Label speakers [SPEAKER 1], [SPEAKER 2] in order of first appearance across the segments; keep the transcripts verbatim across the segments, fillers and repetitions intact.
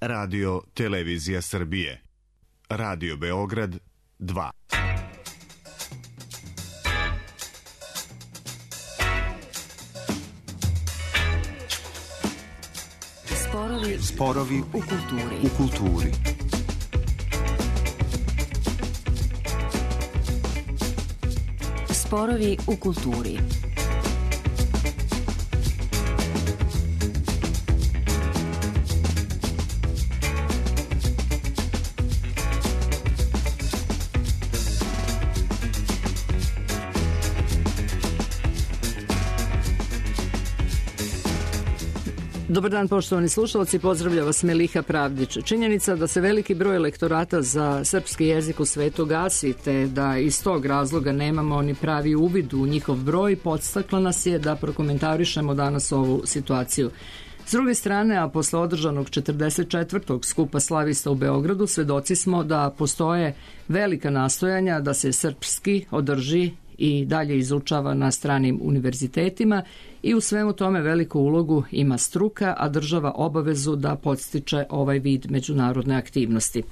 [SPEAKER 1] Radio Televizija Srbije. Radio Beograd dva.
[SPEAKER 2] Sporovi,
[SPEAKER 3] Sporovi
[SPEAKER 2] u kulturi.
[SPEAKER 3] U kulturi.
[SPEAKER 2] Sporovi u kulturi.
[SPEAKER 4] Dobar dan, poštovani slušalci, pozdravlja vas Meliha Pravdić. Činjenica da se veliki broj lektorata za srpski jezik u svetu gasi, te da iz tog razloga nemamo ni pravi uvid u njihov broj, podstakla nas je da prokomentarišemo danas ovu situaciju. S druge strane, a posle održanog četrdeset četvrtog skupa slavista u Beogradu, svedoci smo da postoje velika nastojanja da se srpski održi i dalje izučava na stranim univerzitetima i u svemu tome veliku ulogu ima struka, a država obavezu da podstiče ovaj vid međunarodne aktivnosti.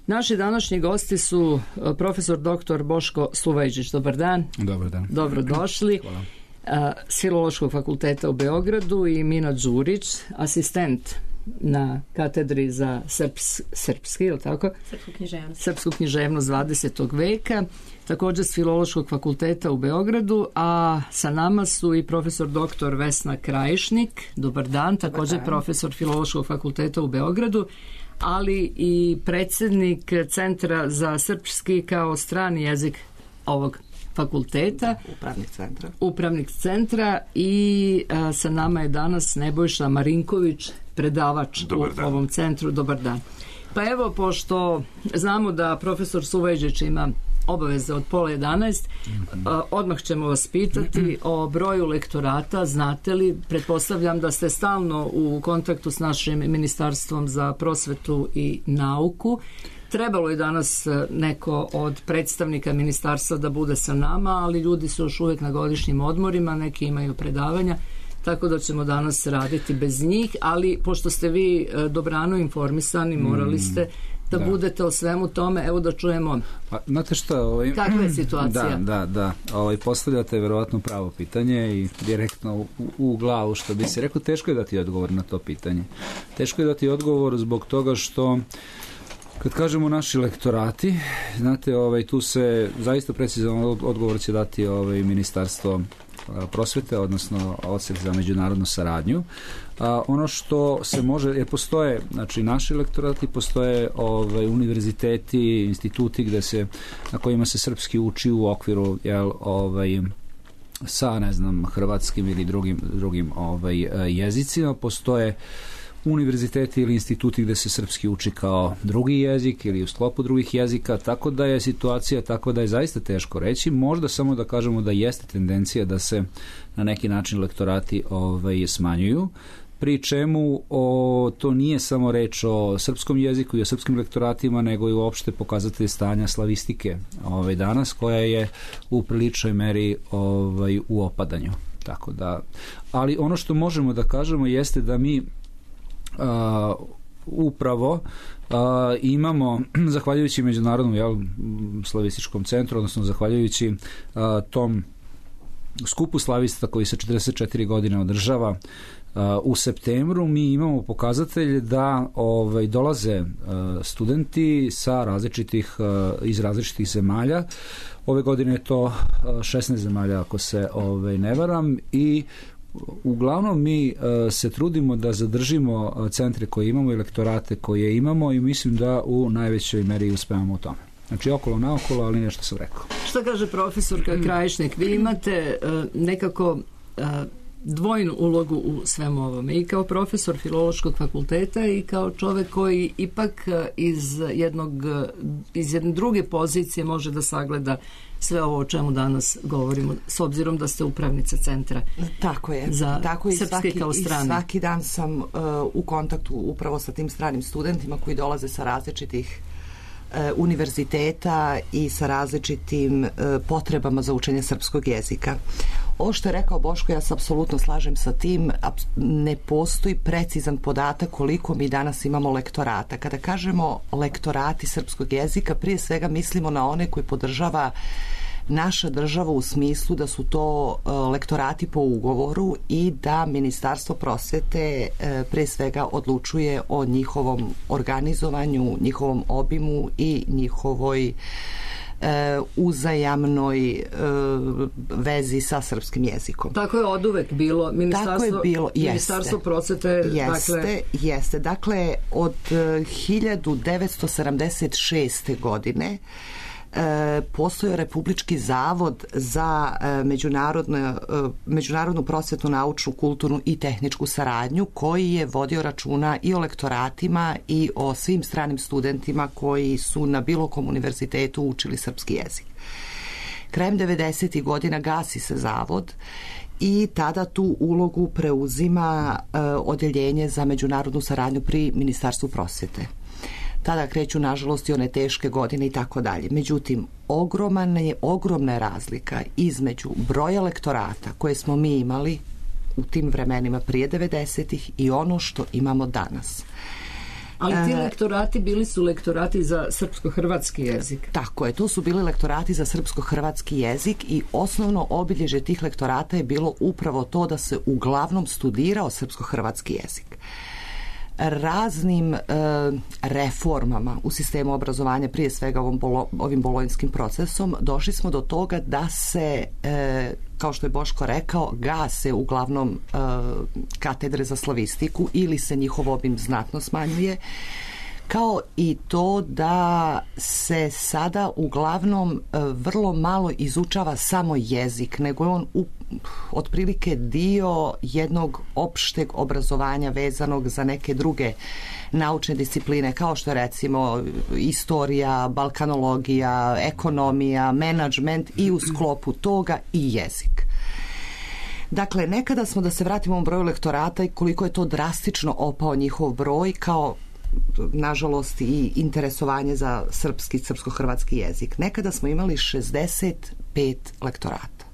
[SPEAKER 4] Naši današnji gosti su profesor doktor Boško Sluvejđić. Dobar dan.
[SPEAKER 5] Dobar dan.
[SPEAKER 4] Dobrodošli.
[SPEAKER 5] Hvala.
[SPEAKER 4] S Filološkog fakulteta u Beogradu i Mina Đurić, asistent na katedri za srps, srpski, ili tako?
[SPEAKER 6] Srpsku književnost.
[SPEAKER 4] Srpsku književnost dvadesetog veka, također s Filološkog fakulteta u Beogradu, a sa nama su i profesor doktor Vesna Krajišnik. Dobar dan, također Dobar dan. Profesor Filološkog fakulteta u Beogradu, ali i predsjednik Centra za srpski kao strani jezik ovog fakulteta,
[SPEAKER 7] upravnik centra.
[SPEAKER 4] Upravnik centra i a, sa nama je danas Nebojša Marinković, predavač u ovom centru. Dobar dan. Pa evo, pošto znamo da profesor Sluvejđić ima obaveze od pola jedanaest, mm-hmm. a, odmah ćemo vas pitati mm-hmm. o broju lektorata. Znate li, pretpostavljam da ste stalno u kontaktu s našim Ministarstvom za prosvetu i nauku. Trebalo je danas neko od predstavnika ministarstva da bude sa nama, ali ljudi su još uvijek na godišnjim odmorima, neki imaju predavanja, tako da ćemo danas raditi bez njih, ali pošto ste vi dobrano informisani, morali ste da, da budete o svemu tome. Evo da čujemo.
[SPEAKER 5] Pa, znate šta, ovaj,
[SPEAKER 4] kakva je situacija?
[SPEAKER 5] Da, da, da. Ovaj, postavljate verovatno pravo pitanje i direktno u, u glavu, što bi se rekao, teško je dati odgovor na to pitanje. Teško je dati odgovor zbog toga što kad kažemo naši lektorati, znate, ovaj, tu se zaista precizan odgovor će dati ovaj, Ministarstvo prosvete, odnosno Odsek za međunarodnu saradnju. A, ono što se može, jer postoje, znači naši lektorati, postoje ovaj, univerziteti, instituti gde se, na kojima se srpski uči u okviru, jel, ovaj, sa, ne znam, hrvatskim ili drugim, drugim ovaj, jezicima. Postoje univerziteti ili instituti gde se srpski uči kao drugi jezik ili u sklopu drugih jezika, tako da je situacija tako da je zaista teško reći. Možda samo da kažemo da jeste tendencija da se na neki način lektorati ovaj, smanjuju, pri čemu o, to nije samo reč o srpskom jeziku i o srpskim lektoratima, nego i uopšte pokazatelj stanja slavistike ovaj, danas, koja je u priličnoj meri ovaj, u opadanju. Tako da, ali ono što možemo da kažemo jeste da mi Uh, upravo uh, imamo, zahvaljujući međunarodnom jel, slavističkom centru, odnosno zahvaljujući uh, tom skupu slavista koji se četrdeset četiri godine održava uh, u septembru, mi imamo pokazatelj da ovaj, dolaze uh, studenti sa različitih, uh, iz različitih zemalja. Ove godine je to uh, šesnaest zemalja, ako se ovaj, ne varam, i uglavnom mi uh, se trudimo da zadržimo uh, centre koje imamo i lektorate koje imamo i mislim da u najvećoj meri uspevamo u tome. Znači okolo naokolo, ali nešto sam rekao.
[SPEAKER 4] Šta kaže profesorka Krajišnik? Vi imate uh, nekako uh, dvojnu ulogu u svemu ovome, i kao profesor Filološkog fakulteta i kao čovek koji ipak iz jednog iz jedne druge pozicije može da sagleda sve ovo o čemu danas govorimo, s obzirom da ste upravnica centra.
[SPEAKER 7] Tako je.
[SPEAKER 4] Za
[SPEAKER 7] tako i
[SPEAKER 4] srpski
[SPEAKER 7] svaki,
[SPEAKER 4] kao strani.
[SPEAKER 7] I svaki dan sam uh, u kontaktu upravo sa tim stranim studentima koji dolaze sa različitih uh, univerziteta i sa različitim uh, potrebama za učenje srpskog jezika. ovo što je rekao Boško, ja se apsolutno slažem sa tim. Ne postoji precizan podatak koliko mi danas imamo lektorata. Kada kažemo lektorati srpskog jezika, prije svega mislimo na one koji podržava naša država u smislu da su to lektorati po ugovoru i da Ministarstvo prosvete pre svega odlučuje o njihovom organizovanju, njihovom obimu i njihovoj uzajamnoj vezi sa srpskim jezikom.
[SPEAKER 4] Tako je oduvek bilo. Ministarstvo,
[SPEAKER 7] Tako je bilo, jeste.
[SPEAKER 4] Ministarstvo prosvete,
[SPEAKER 7] jeste,
[SPEAKER 4] dakle...
[SPEAKER 7] Jeste, dakle, od hiljadu devetsto sedamdeset šeste. godine E, postojao Republički zavod za e, međunarodnu, e, međunarodnu prosvetnu, naučnu, kulturnu i tehničku saradnju, koji je vodio računa i o lektoratima i o svim stranim studentima koji su na bilo kom univerzitetu učili srpski jezik. Krajem devedesetih godina gasi se zavod i tada tu ulogu preuzima e, odjeljenje za međunarodnu saradnju pri Ministarstvu prosvete. Tada kreću, nažalost, i one teške godine i tako dalje. Međutim, ogromna je, ogromna je razlika između broja lektorata koje smo mi imali u tim vremenima prije devedesetih i ono što imamo danas.
[SPEAKER 4] Ali ti lektorati bili su lektorati za srpsko-hrvatski jezik.
[SPEAKER 7] Tako je, to su bili lektorati za srpsko-hrvatski jezik i osnovno obilježje tih lektorata je bilo upravo to da se uglavnom studirao srpsko-hrvatski jezik. Raznim e, reformama u sistemu obrazovanja, prije svega ovom bolo, ovim bolonjskim procesom, došli smo do toga da se, e, kao što je Boško rekao, gase uglavnom e, katedre za slavistiku ili se njihov obim znatno smanjuje, kao i to da se sada uglavnom e, vrlo malo izučava samo jezik, nego je on u otprilike dio jednog opšteg obrazovanja vezanog za neke druge naučne discipline, kao što je recimo istorija, balkanologija, ekonomija, menadžment i u sklopu toga i jezik. Dakle, nekada smo, da se vratimo u broju lektorata i koliko je to drastično opao njihov broj, kao nažalost i interesovanje za srpski, srpsko-hrvatski jezik. Nekada smo imali šezdeset pet lektorata.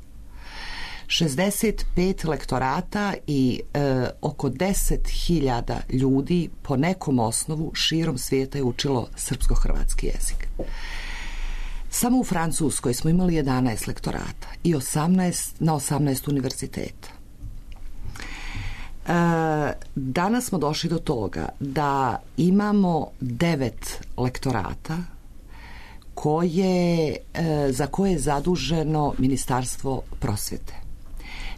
[SPEAKER 7] šezdeset pet lektorata i e, oko deset hiljada ljudi po nekom osnovu širom svijeta je učilo srpsko-hrvatski jezik. Samo u Francuskoj smo imali jedanaest lektorata i osamnaest na osamnaest univerziteta. E, danas smo došli do toga da imamo devet lektorata koje, e, za koje je zaduženo Ministarstvo prosvete.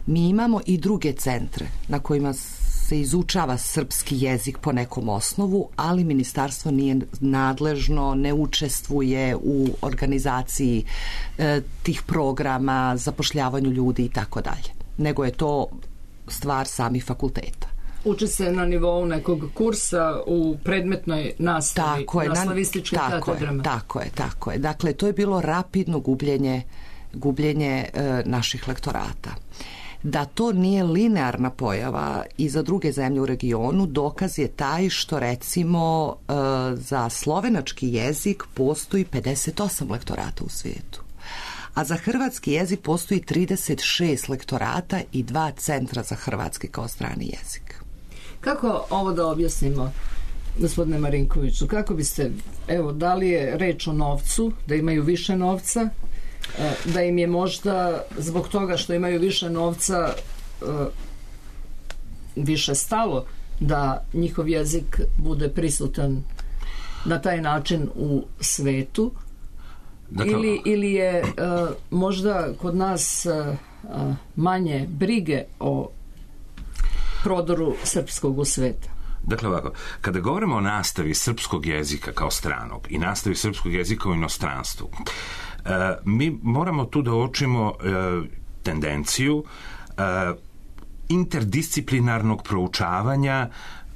[SPEAKER 7] Mi imamo i druge centre na kojima se izučava srpski jezik po nekom osnovu, ali ministarstvo nije nadležno, ne učestvuje u organizaciji e, tih programa, zapošljavanju ljudi i tako dalje. Nego je to stvar samih fakulteta.
[SPEAKER 4] Uči se na nivou nekog kursa u predmetnoj nastavi
[SPEAKER 7] tako je,
[SPEAKER 4] na slavističkim
[SPEAKER 7] tako
[SPEAKER 4] katedrama.
[SPEAKER 7] Je, tako je, tako je. Dakle, to je bilo rapidno gubljenje, gubljenje e, naših lektorata. Da to nije linearna pojava i za druge zemlje u regionu, dokaz je taj što recimo e, za slovenački jezik postoji pedeset osam lektorata u svijetu. A za hrvatski jezik postoji trideset šest lektorata i dva centra za hrvatski kao strani jezik.
[SPEAKER 4] Kako ovo da objasnimo, gospodine Marinkoviću? Kako biste, evo, da li je reč o novcu, da imaju više novca, da im je možda zbog toga što imaju više novca više stalo da njihov jezik bude prisutan na taj način u svetu, dakle, ili, ili je uh, možda kod nas uh, manje brige o prodoru srpskog u sveta?
[SPEAKER 3] Dakle ovako, kada govorimo o nastavi srpskog jezika kao stranog i nastavi srpskog jezika u inostranstvu, uh, mi moramo tu da uočimo uh, tendenciju uh, interdisciplinarnog proučavanja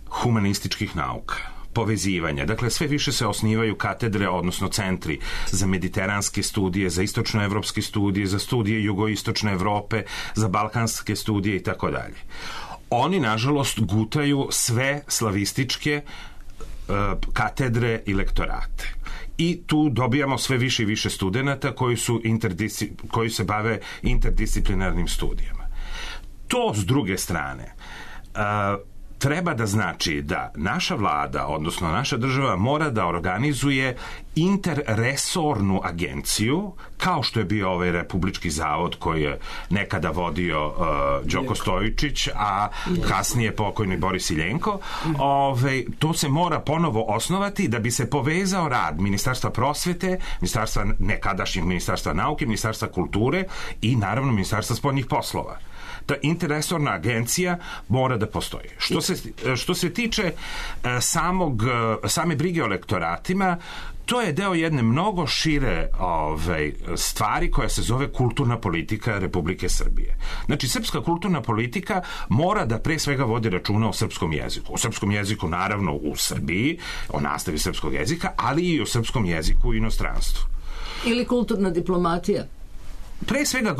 [SPEAKER 3] humanističkih nauka, povezivanja. Dakle, sve više se osnivaju katedre, odnosno centri za mediteranske studije, za istočnoevropske studije, za studije jugoistočne Evrope, za balkanske studije i tako dalje. Oni, nažalost, gutaju sve slavističke uh, katedre i lektorate. I tu dobijamo sve više i više studenata koji, su interdisci, koji se bave interdisciplinarnim studijama. To s druge strane uh, treba da znači da naša vlada, odnosno naša država, mora da organizuje interresornu agenciju, kao što je bio ovaj Republički zavod koji je nekada vodio uh, Đoko Stojičić, a kasnije pokojni Boris Iljenko. Ove, to se mora ponovo osnovati da bi se povezao rad Ministarstva prosvete, ministarstva, nekadašnjeg Ministarstva nauke, Ministarstva kulture i naravno Ministarstva spoljnih poslova. Ta interresorna agencija mora da postoji. Što se, što se tiče samog, same brige o lektoratima, to je deo jedne mnogo šire ove, stvari koja se zove kulturna politika Republike Srbije. Znači, srpska kulturna politika mora da pre svega vodi računa o srpskom jeziku. O srpskom jeziku, naravno, u Srbiji, o nastavi srpskog jezika, ali i o srpskom jeziku u inostranstvu.
[SPEAKER 4] Ili kulturna diplomatija.
[SPEAKER 3] Pre svega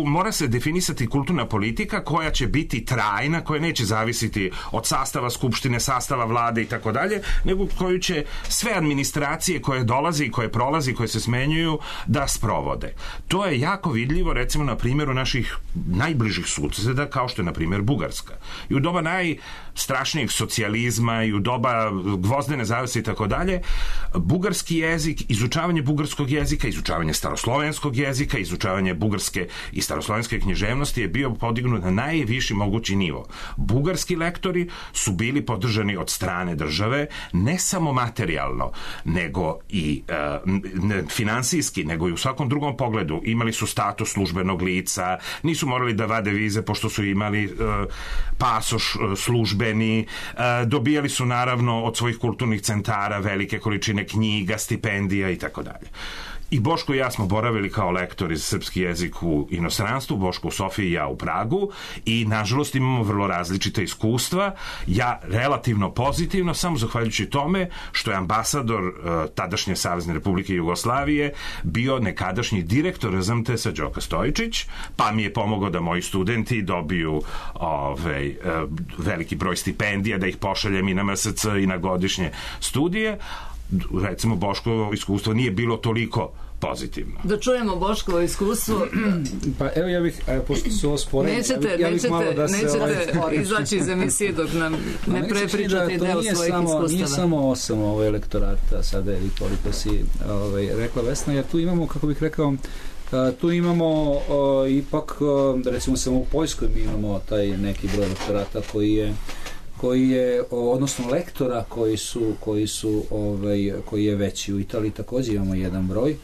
[SPEAKER 3] mora se definisati kulturna politika koja će biti trajna, koja neće zavisiti od sastava skupštine, sastava vlade i tako dalje, nego koju će sve administracije koje dolaze i koje prolazi, koje se smenjuju, da sprovode. To je jako vidljivo, recimo, na primjeru naših najbližih suseda, kao što je, na primjer, Bugarska. I u doba najstrašnijeg socijalizma i u doba gvozdene zavese i tako dalje, bugarski jezik, izučavanje bugarskog jezika, izučavanje staroslovenskog jezika, izučavanje bugarske i staroslovenske književnosti je bio podignut na najviši mogući nivo. Bugarski lektori su bili podržani od strane države, ne samo materijalno, nego i e, ne, finansijski, nego i u svakom drugom pogledu. Imali su status službenog lica, nisu morali da vade vize pošto su imali e, pasoš e, službeni, e, dobijali su naravno od svojih kulturnih centara velike količine knjiga, stipendija i tako dalje. I Boško i ja smo boravili kao lektori za srpski jezik u inostranstvu, Boško u Sofiji i ja u Pragu, i nažalost imamo vrlo različite iskustva. Ja relativno pozitivno, samo zahvaljujući tome što je ambasador uh, tadašnje Savezne Republike Jugoslavije bio nekadašnji direktor R Z M T S-a Đoko Stojičić, pa mi je pomogao da moji studenti dobiju ovaj, uh, veliki broj stipendija, da ih pošaljem i na M S C i na godišnje studije. Recimo, Boškovo iskustvo nije bilo toliko pozitivno.
[SPEAKER 4] Da čujemo Boškovo iskustvo.
[SPEAKER 5] Pa evo, ja bih, pošto su ovo sporedni,
[SPEAKER 4] nećete,
[SPEAKER 5] ja bih, ja bih
[SPEAKER 4] nećete,
[SPEAKER 5] malo da se...
[SPEAKER 4] Nećete
[SPEAKER 5] ovaj,
[SPEAKER 4] izaći iz emisije dok nam ne
[SPEAKER 5] da
[SPEAKER 4] prepričate deo svojih
[SPEAKER 5] samo,
[SPEAKER 4] iskustava.
[SPEAKER 5] Nije samo osam ovaj elektorata sada, ili koliko si ovaj, rekla, Vesna, jer tu imamo, kako bih rekao, tu imamo uh, ipak, uh, recimo samo u Poljskoj mi imamo taj neki broj elektorata koji je koji je, odnosno lektora koji su, koji su ovaj, koji je veći. U Italiji također imamo jedan broj.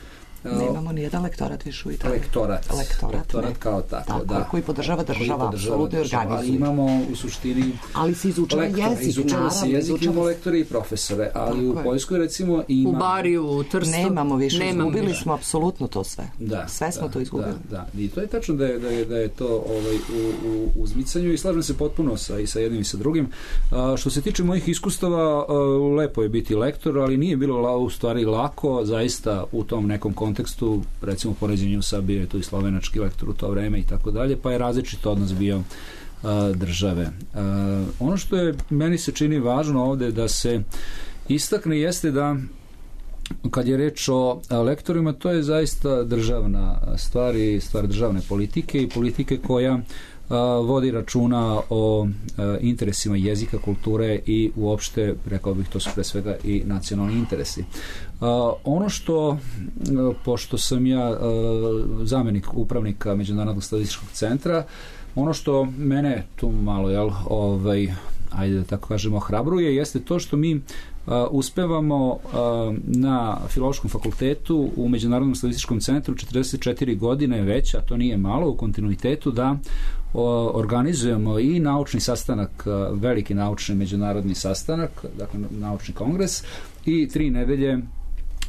[SPEAKER 7] Nemamo ni jedan lektorat više u Italiji.
[SPEAKER 5] Lektorat. Lektorat, lektorat kao tako, tako da.
[SPEAKER 7] Koji podržava država, apsolutno organizuje.
[SPEAKER 5] Ali imamo u suštini...
[SPEAKER 7] Ali se izučava jezik,
[SPEAKER 5] izučava se jezik, imamo lektore i profesore, ali tako u Poljskoj recimo ima...
[SPEAKER 4] U Bariju, u Trstu...
[SPEAKER 7] Nemamo više,
[SPEAKER 4] Nemamo
[SPEAKER 7] izgubili
[SPEAKER 4] više.
[SPEAKER 7] smo apsolutno to sve.
[SPEAKER 5] Da,
[SPEAKER 7] sve smo
[SPEAKER 5] da,
[SPEAKER 7] to izgubili.
[SPEAKER 5] Da, da. I to je tačno da je, da je, da je to ovaj, u, u uzmicanju i slažem se potpuno sa, i sa jednim i sa drugim. A, što se tiče mojih iskustava, a, lepo je biti lektor, ali nije bilo la, u stvari lako, zaista u tom nekom kontekstu, recimo poređenju sa bio je tu i slovenački lektor u to vreme i tako dalje, pa je različit odnos bio a, države. A, ono što je meni se čini važno ovde da se istakne jeste da kad je reč o lektorima, to je zaista državna stvar i stvar državne politike i politike koja a, vodi računa o a, interesima jezika, kulture i uopšte, rekao bih, to su pre svega i nacionalni interesi. A, ono što, a, pošto sam ja a, zamenik upravnika Međunarodnog statističkog centra, ono što mene tu malo, jel, ovaj, ajde da tako kažemo, ohrabruje, jeste to što mi Uh, uspevamo uh, na Filološkom fakultetu u Međunarodnom statističkom centru četrdeset četiri godine već, a to nije malo, u kontinuitetu da uh, organizujemo i naučni sastanak, uh, veliki naučni međunarodni sastanak, dakle naučni kongres, i tri nedelje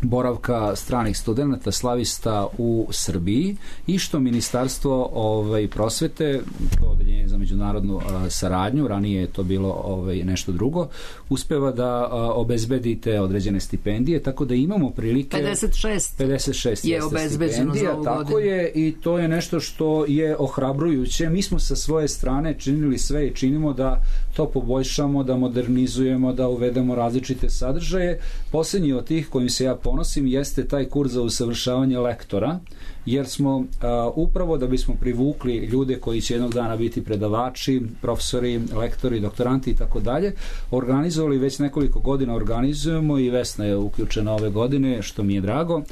[SPEAKER 5] boravka stranih studenata, slavista u Srbiji, i što Ministarstvo ovaj, prosvete, to odeljenje za međunarodnu a, saradnju, ranije je to bilo ovaj, nešto drugo, uspeva da a, obezbedi te određene stipendije, tako da imamo prilike...
[SPEAKER 4] pedeset šest,
[SPEAKER 5] pedeset šest
[SPEAKER 4] je obezbeđeno za ovu
[SPEAKER 5] tako
[SPEAKER 4] godinu.
[SPEAKER 5] Je, i to je nešto što je ohrabrujuće. Mi smo sa svoje strane činili sve i činimo da to poboljšamo, da modernizujemo, da uvedemo različite sadržaje. Posljednji od tih kojim se ja ponosim jeste taj kurs za usavršavanje lektora, jer smo uh, upravo da bismo privukli ljude koji će jednog dana biti predavači, profesori, lektori, doktoranti i tako dalje, organizovali već nekoliko godina organizujemo i Vesna je uključena ove godine, što mi je drago,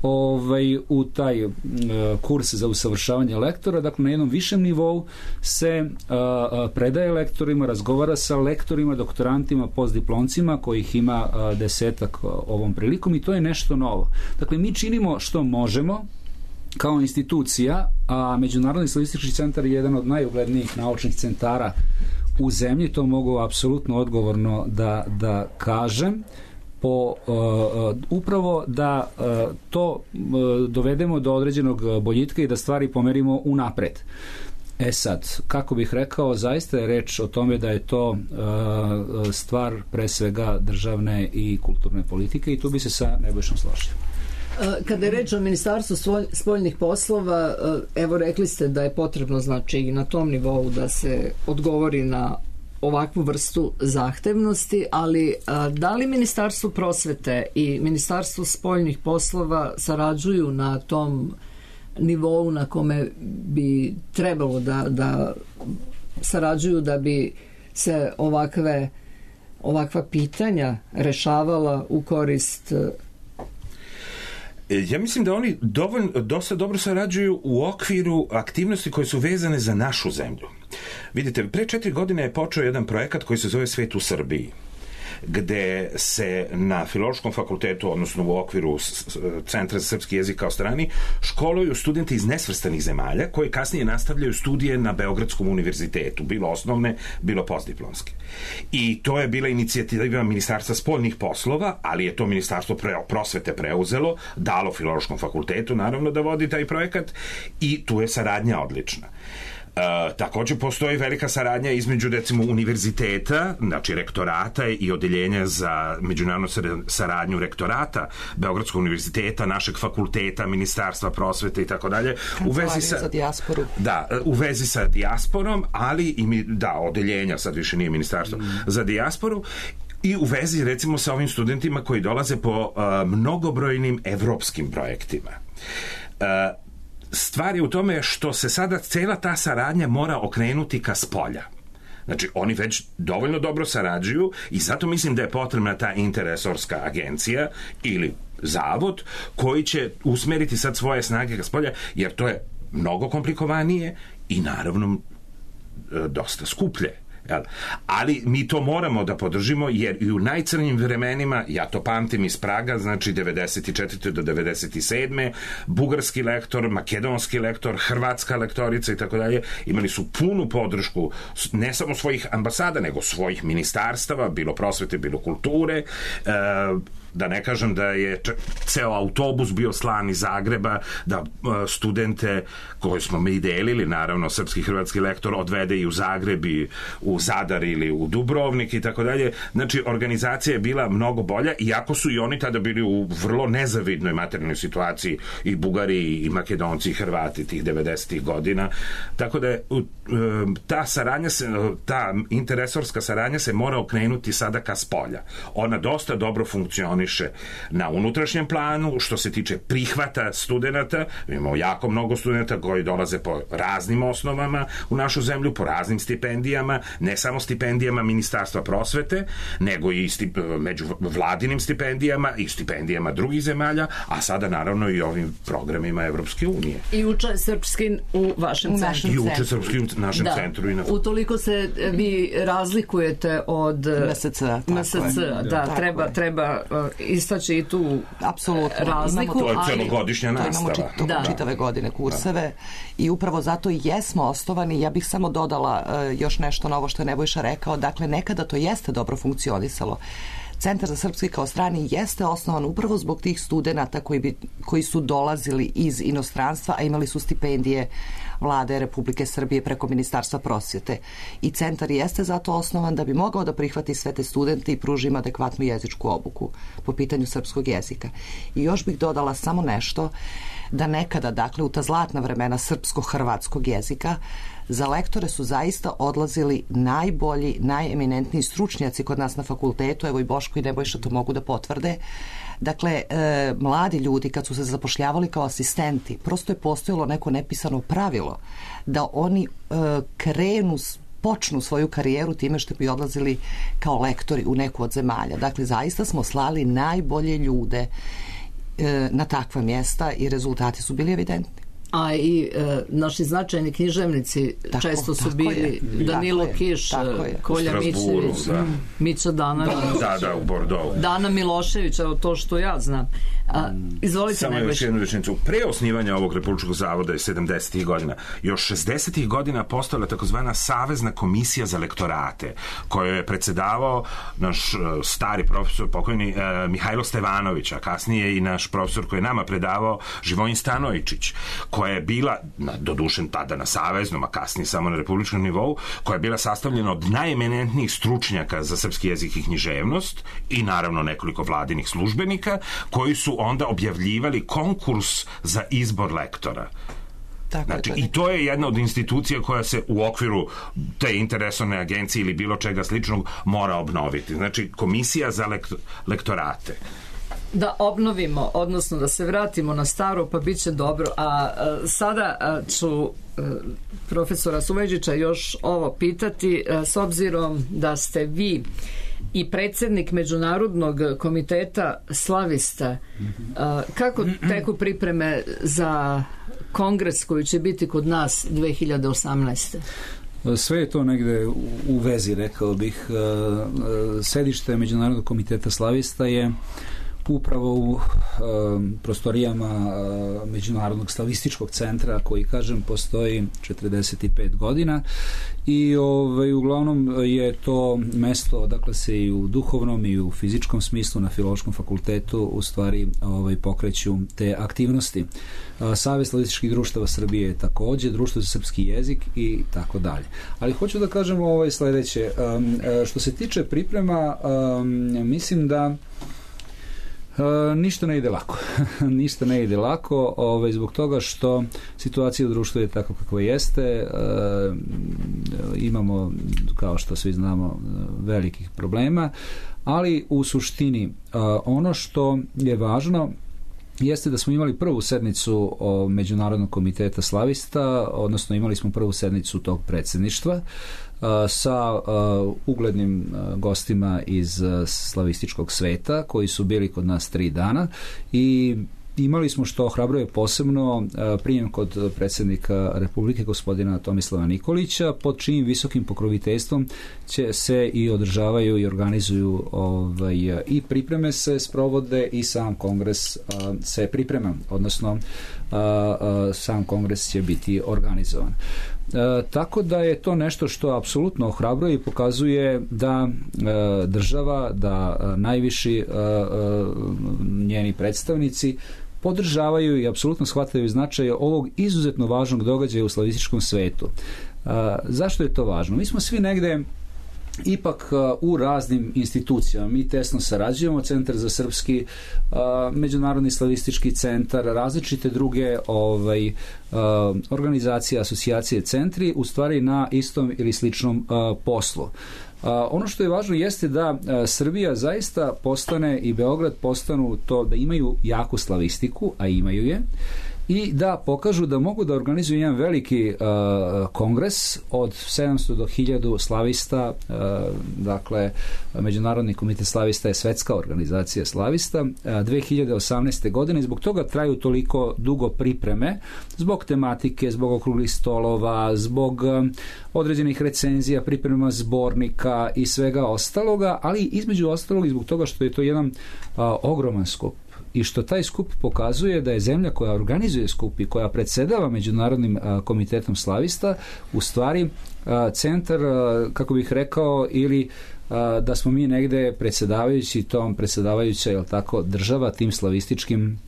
[SPEAKER 5] ovaj, u taj uh, kurs za usavršavanje lektora. Dakle, na jednom višem nivou se uh, predaje lektorima, razgovara sa lektorima, doktorantima, postdiplomcima, kojih ima uh, desetak uh, ovom prilikom, i to je nešto novo. Dakle, mi činimo što možemo kao institucija, a Međunarodni statistički centar je jedan od najuglednijih naučnih centara u zemlji, to mogu apsolutno odgovorno da, da kažem, po uh, upravo da uh, to uh, dovedemo do određenog boljitka i da stvari pomerimo unapred. E sad, kako bih rekao, zaista je reč o tome da je to uh, stvar pre svega državne i kulturne politike, i tu bi se sa Nebojšom složio.
[SPEAKER 4] Kada je reč o Ministarstvu spoljnih poslova, evo rekli ste da je potrebno, znači, i na tom nivou da se odgovori na ovakvu vrstu zahtevnosti, ali da li Ministarstvo prosvete i Ministarstvo spoljnih poslova sarađuju na tom nivou na kome bi trebalo da, da sarađuju da bi se ovakve, ovakva pitanja rešavala u korist?
[SPEAKER 3] Ja mislim da oni dovoljno, dosta dobro sarađuju u okviru aktivnosti koje su vezane za našu zemlju. Vidite, pre četiri godine je počeo jedan projekat koji se zove Svet u Srbiji, gde se na Filološkom fakultetu, odnosno u okviru Centra za srpski jezik kao strani, školuju studenti iz nesvrstanih zemalja koji kasnije nastavljaju studije na Beogradskom univerzitetu, bilo osnovne, bilo postdiplomske. I to je bila inicijativa Ministarstva spoljnih poslova, ali je to Ministarstvo prosvete preuzelo, dalo Filološkom fakultetu, naravno, da vodi taj projekat, i tu je saradnja odlična. Uh, također postoji velika saradnja između, recimo, univerziteta, znači rektorata i odeljenja za međunarodnu saradnju rektorata Beogradskog univerziteta, našeg fakulteta, Ministarstva prosvete i tako dalje, u vezi sa
[SPEAKER 7] za dijasporu.
[SPEAKER 3] Da, u vezi sa dijasporom, ali i mi, da, odeljenja, sad više nije Ministarstvo mm. za dijasporu, i u vezi, recimo, sa ovim studentima koji dolaze po uh, mnogobrojnim evropskim projektima. Uh, Stvar je u tome što se sada cela ta saradnja mora okrenuti ka spolja. Znači, oni već dovoljno dobro sarađuju i zato mislim da je potrebna ta interresorska agencija ili zavod koji će usmeriti sad svoje snage ka spolja, jer to je mnogo komplikovanije i naravno dosta skuplje. Ali mi to moramo da podržimo, jer i u najcrnjim vremenima, ja to pamtim iz Praga, znači devedeset četvrte do devedeset sedme bugarski lektor, makedonski lektor, hrvatska lektorica i tako dalje, imali su punu podršku ne samo svojih ambasada, nego svojih ministarstava, bilo prosvete, bilo kulture, da ne kažem da je ceo autobus bio slan iz Zagreba, da studente koje smo mi delili, naravno srpski hrvatski lektor, odvede i u Zagreb i u Zadar ili u Dubrovnik i tako dalje. Znači, organizacija je bila mnogo bolja, iako su i oni tada bili u vrlo nezavidnoj materijalnoj situaciji, i Bugari i Makedonci i Hrvati tih devedesetih godina. Tako da je ta saradnja se, ta interresorska saradnja se mora okrenuti sada ka spolja. Ona dosta dobro funkcioniše na unutrašnjem planu, što se tiče prihvata studenata. Imamo jako mnogo studenta koji dolaze po raznim osnovama u našu zemlju, po raznim stipendijama, ne samo stipendijama Ministarstva prosvete, nego i stip, među vladinim stipendijama i stipendijama drugih zemalja, a sada naravno i ovim programima Evropske unije.
[SPEAKER 4] I uče srpski u vašem u centru.
[SPEAKER 3] I uče srpski u našem da. centru. I na...
[SPEAKER 4] Utoliko se vi razlikujete od
[SPEAKER 7] M S C-a.
[SPEAKER 4] M S C-a, da, da, treba, treba istaći i tu
[SPEAKER 7] apsolutno
[SPEAKER 4] razliku.
[SPEAKER 3] To je celogodišnja nastava.
[SPEAKER 7] Imamo čit, da. čitave godine kurseve da. i upravo zato jesmo osnovani. Ja bih samo dodala uh, još nešto na ovo što je Nebojša rekao. Dakle, nekada to jeste dobro funkcionisalo. Centar za srpski kao strani jeste osnovan upravo zbog tih studenata koji, bi, koji su dolazili iz inostranstva, a imali su stipendije Vlade Republike Srbije preko Ministarstva prosvjete. I centar jeste zato osnovan da bi mogao da prihvati sve te studente i pruži im adekvatnu jezičku obuku po pitanju srpskog jezika. I još bih dodala samo nešto, da nekada, dakle, u ta zlatna vremena srpsko-hrvatskog jezika, Za lektore su zaista odlazili najbolji, najeminentniji stručnjaci kod nas na fakultetu, evo i Boško i Nebojša to mogu da potvrde. Dakle, e, mladi ljudi kad su se zapošljavali kao asistenti, prosto je postojalo neko nepisano pravilo da oni e, krenu, počnu svoju karijeru time što bi odlazili kao lektori u neku od zemalja. Dakle, zaista smo slali najbolje ljude e, na takva mjesta i rezultati su bili evidentni.
[SPEAKER 4] A i e, naši značajni književnici tako, često su bili je. Danilo tako Kiš, Kolja Mićević, da. Mića Dana,
[SPEAKER 3] da, da, u Bordeaux.
[SPEAKER 4] Dana Milošević, evo to što ja znam. A, izvolite.
[SPEAKER 3] Samo još jednu rečenicu. Pre osnivanja ovog Republičkog zavoda je sedamdesetih godina. Još šezdesetih godina postojala takozvana Savezna komisija za lektorate, koju je predsedavao naš uh, stari profesor, pokojni uh, Mihajlo Stevanović, a kasnije i naš profesor koji je nama predavao, Živojin Stanojičić, koja je bila, dodušen tada na saveznom, a kasnije samo na republičkom nivou, koja je bila sastavljena od najeminentnijih stručnjaka za srpski jezik i književnost i naravno nekoliko vladinih službenika, koji su onda objavljivali konkurs za izbor lektora. Tako znači, i to je jedna od institucija koja se u okviru te interesovne agencije ili bilo čega sličnog mora obnoviti. Znači, komisija za lekt- lektorate.
[SPEAKER 4] Da obnovimo, odnosno da se vratimo na staro, pa bit će dobro. A, a sada a, ću a, profesora Suvajdžića još ovo pitati, a, s obzirom da ste vi i predsjednik Međunarodnog komiteta slavista. A, kako teku pripreme za kongres koji će biti kod nas dve hiljade osamnaeste.
[SPEAKER 5] Sve je to negde u vezi, rekao bih. Sedište Međunarodnog komiteta slavista je upravo u uh, prostorijama uh, Međunarodnog slavističkog centra, koji, kažem, postoji četrdeset pet godina i ovaj, uglavnom je to mesto odakle se i u duhovnom i u fizičkom smislu na Filološkom fakultetu u stvari ovaj, pokreću te aktivnosti. Uh, Savez slavističkih društava Srbije je takođe, Društvo za srpski jezik i tako dalje. Ali hoću da kažem ovaj sledeće. Um, što se tiče priprema, um, mislim da Uh, ništa ne ide lako. ništa ne ide lako ovaj, zbog toga što situacija u društvu je tako kakva jeste. Uh, imamo, kao što svi znamo, velikih problema, ali u suštini uh, ono što je važno jeste da smo imali prvu sednicu o Međunarodnog komiteta slavista, odnosno imali smo prvu sednicu tog predsjedništva sa uh, uglednim uh, gostima iz uh, slavističkog sveta koji su bili kod nas tri dana i imali smo, što ohrabruje posebno, uh, prijem kod predsjednika Republike gospodina Tomislava Nikolića, pod čijim visokim pokroviteljstvom će se i održavaju i organizuju ovaj, i pripreme se sprovode i sam kongres uh, se priprema, odnosno uh, uh, sam kongres će biti organizovan. E, tako da je to nešto što apsolutno ohrabruje i pokazuje da e, država, da e, najviši e, e, njeni predstavnici podržavaju i apsolutno shvataju značaj ovog izuzetno važnog događaja u slavističkom svetu. E, zašto je to važno? Mi smo svi negde ipak u raznim institucijama. Mi tesno sarađujemo, Centar za srpski, Međunarodni slavistički centar, različite druge ovaj, organizacije, asocijacije, centri, u stvari na istom ili sličnom poslu. Ono što je važno jeste da Srbija zaista postane i Beograd postanu to da imaju jaku slavistiku, a imaju je, i da pokažu da mogu da organizuju jedan veliki uh, kongres od sedamsto do hiljadu slavista. Uh, dakle, Međunarodni komitet slavista je svetska organizacija slavista. Uh, dve hiljade osamnaeste. godine, zbog toga traju toliko dugo pripreme, zbog tematike, zbog okruglih stolova, zbog um, određenih recenzija, priprema zbornika i svega ostaloga, ali između ostalog i zbog toga što je to jedan uh, ogroman skup i što taj skup pokazuje da je zemlja koja organizuje skup i koja predsedava Međunarodnim a, komitetom slavista u stvari a, centar, a, kako bih rekao, ili a, da smo mi negde predsedavajući tom predsedavajuća, jel tako, država tim slavističkim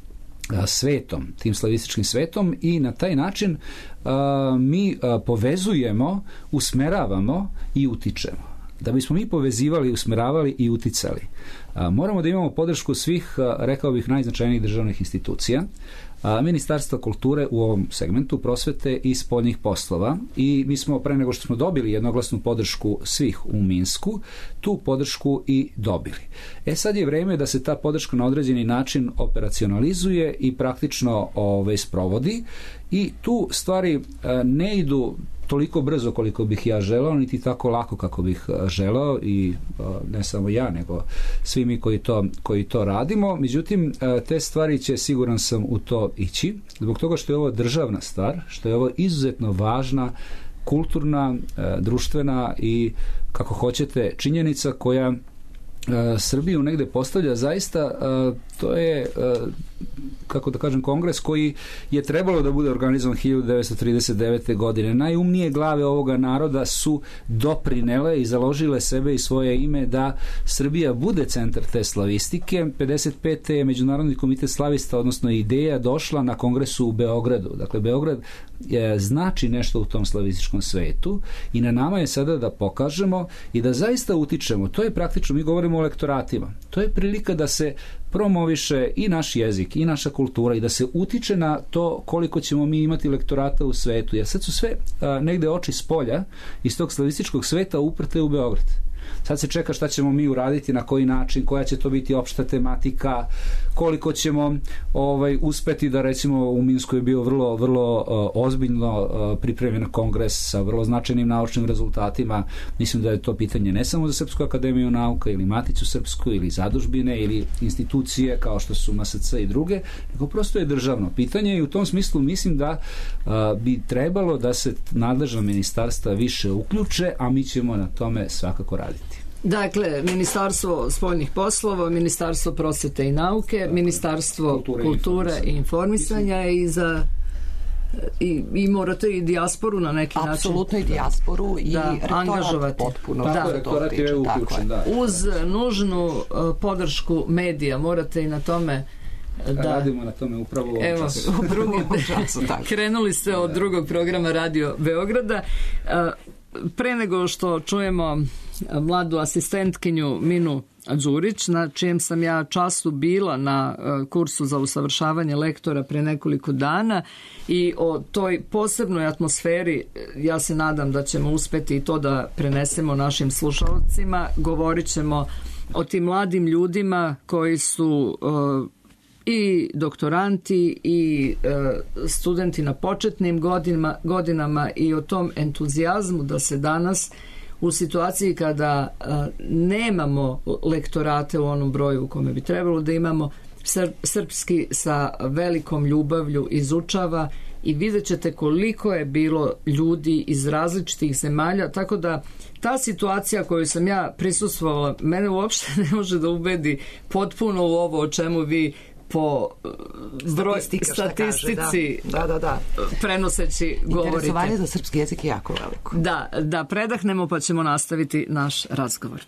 [SPEAKER 5] a, svetom, tim slavističkim svetom i na taj način a, mi a, povezujemo, usmeravamo i utičemo. da bismo mi povezivali, usmeravali i uticali, moramo da imamo podršku svih, rekao bih, najznačajnijih državnih institucija, Ministarstva kulture u ovom segmentu, prosvete i spoljnih poslova, i mi smo pre nego što smo dobili jednoglasnu podršku svih u Minsku, tu podršku i dobili. E sad je vreme da se ta podrška na određeni način operacionalizuje i praktično ove, sprovodi, i tu stvari ne idu toliko brzo koliko bih ja želeo, niti tako lako kako bih želeo, i ne samo ja, nego svi mi koji to, koji to radimo. Međutim, te stvari će, siguran sam, u to ići, zbog toga što je ovo državna stvar, što je ovo izuzetno važna kulturna, društvena i, kako hoćete, činjenica koja Srbiju negde postavlja zaista, to je, kako da kažem, kongres koji je trebalo da bude organizovan hiljadu devetsto trideset devete. godine. Najumnije glave ovoga naroda su doprinele i založile sebe i svoje ime da Srbija bude centar te slavistike. pedeset pete. je Međunarodni komitet slavista, odnosno ideja, došla na kongresu u Beogradu. Dakle, Beograd je, znači nešto u tom slavističkom svetu, i na nama je sada da pokažemo i da zaista utičemo. To je praktično, mi govorimo o lektoratima, to je prilika da se promoviše i naš jezik i naša kultura i da se utiče na to koliko ćemo mi imati lektorata u svetu, jer sad su sve a, negde oči s polja iz tog slavističkog sveta uprte u Beograd. Sad se čeka šta ćemo mi uraditi, na koji način, koja će to biti opšta tematika, koliko ćemo ovaj, uspeti da, recimo, u Minsku je bio vrlo, vrlo uh, ozbiljno uh, pripremljen kongres sa vrlo značajnim naučnim rezultatima. Mislim da je to pitanje ne samo za Srpsku akademiju nauka ili Maticu srpsku ili zadužbine ili institucije kao što su M S C i druge, nego prosto je državno pitanje, i u tom smislu mislim da uh, bi trebalo da se nadležna ministarstva više uključe, a mi ćemo na tome svakako raditi.
[SPEAKER 4] Dakle, Ministarstvo spoljnih poslova, Ministarstvo prosvete i nauke, Ministarstvo kulture, kulture i informisanja, i za i, i morate i dijasporu na neki način.
[SPEAKER 7] Apsolutno i dijasporu i
[SPEAKER 4] da,
[SPEAKER 7] rektorat potpuno.
[SPEAKER 4] Da,
[SPEAKER 7] da,
[SPEAKER 5] rektorat je uključen, da.
[SPEAKER 4] Uz nužnu uh, podršku medija morate i na tome da
[SPEAKER 5] radimo na tome upravo u ovom
[SPEAKER 4] evo,
[SPEAKER 5] času.
[SPEAKER 4] U drugom času krenuli ste od drugog programa Radio Beograda. Uh, pre nego što čujemo mladu asistentkinju Minu Đurić, na čijem sam ja času bila na kursu za usavršavanje lektora pre nekoliko dana, i o toj posebnoj atmosferi, ja se nadam da ćemo uspeti i to da prenesemo našim slušalcima. Govorit ćemo o tim mladim ljudima koji su uh, i doktoranti i e, studenti na početnim godinama, godinama i o tom entuzijazmu da se danas u situaciji kada e, nemamo lektorate u onom broju u kome bi trebalo da imamo, sr- srpski sa velikom ljubavlju izučava, i vidjet ćete koliko je bilo ljudi iz različitih zemalja, tako da ta situacija koju sam ja prisustvovala mene uopšte ne može da ubedi potpuno u ovo o čemu vi po broj statistici
[SPEAKER 7] da. Da, da, da.
[SPEAKER 4] prenoseći govorite.
[SPEAKER 7] Interesovanje za srpski jezik je jako veliko.
[SPEAKER 4] Da, da predahnemo pa ćemo nastaviti naš razgovor.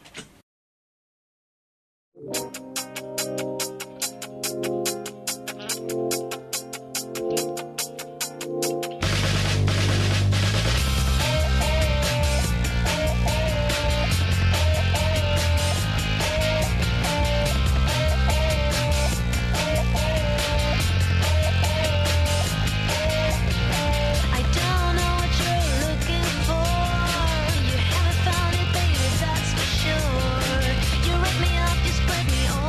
[SPEAKER 6] Spread me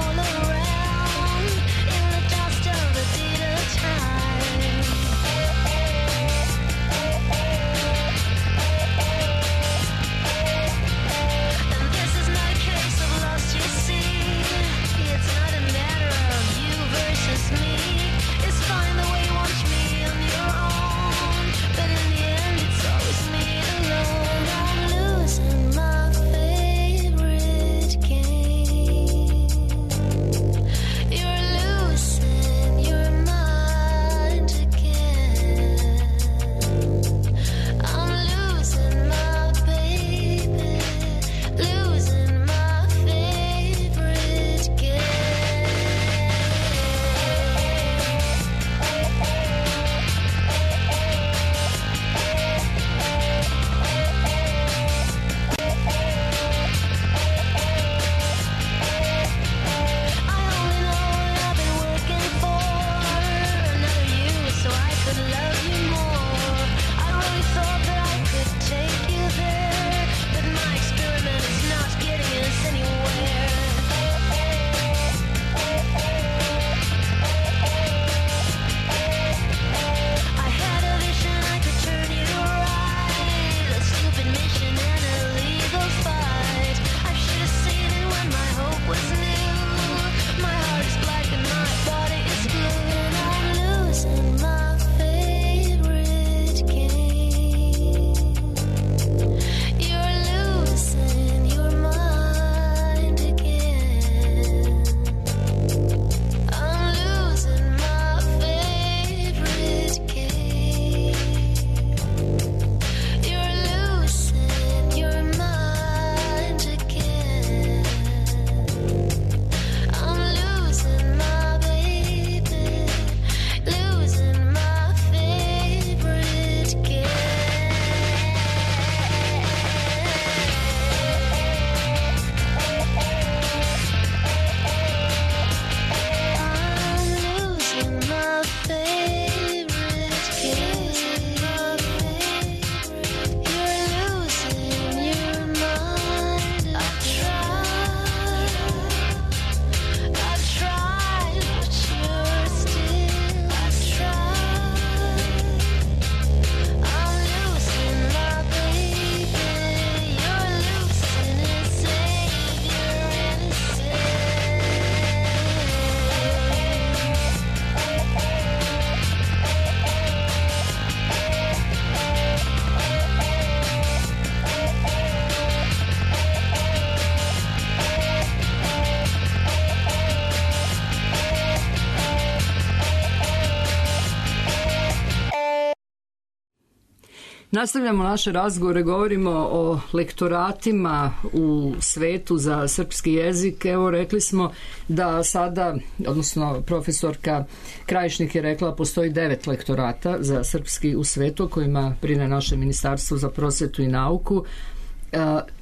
[SPEAKER 4] Nastavljamo naše razgovore, govorimo o lektoratima u svetu za srpski jezik. Evo, rekli smo da sada, odnosno profesorka Krajišnik je rekla, postoji devet lektorata za srpski u svetu kojima brine naše Ministarstvo za prosvetu i nauku,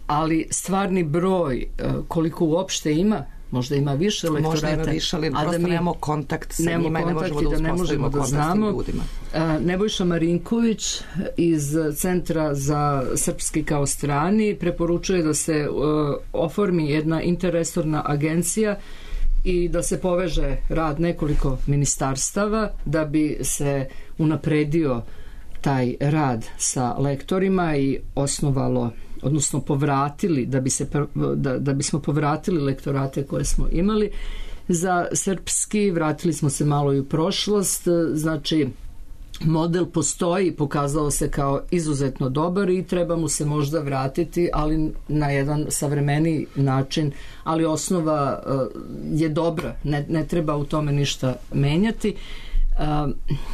[SPEAKER 4] ali stvarni broj koliko uopšte ima, možda ima više lektorata.
[SPEAKER 7] Možda ima više, ali prosto mi nemamo kontakt sa njima i ne možemo da uspostavimo kontakt s tim ljudima.
[SPEAKER 4] Nebojša Marinković iz Centra za srpski kao strani preporučuje da se uh, oformi jedna interresorna agencija i da se poveže rad nekoliko ministarstava da bi se unapredio taj rad sa lektorima i osnovalo, odnosno povratili, da bi se da, da bismo povratili lektorate koje smo imali za srpski. Vratili smo se malo i u prošlost, znači model postoji, pokazao se kao izuzetno dobar i treba mu se možda vratiti, ali na jedan savremeniji način, ali osnova uh, je dobra, ne, ne treba u tome ništa menjati. Uh,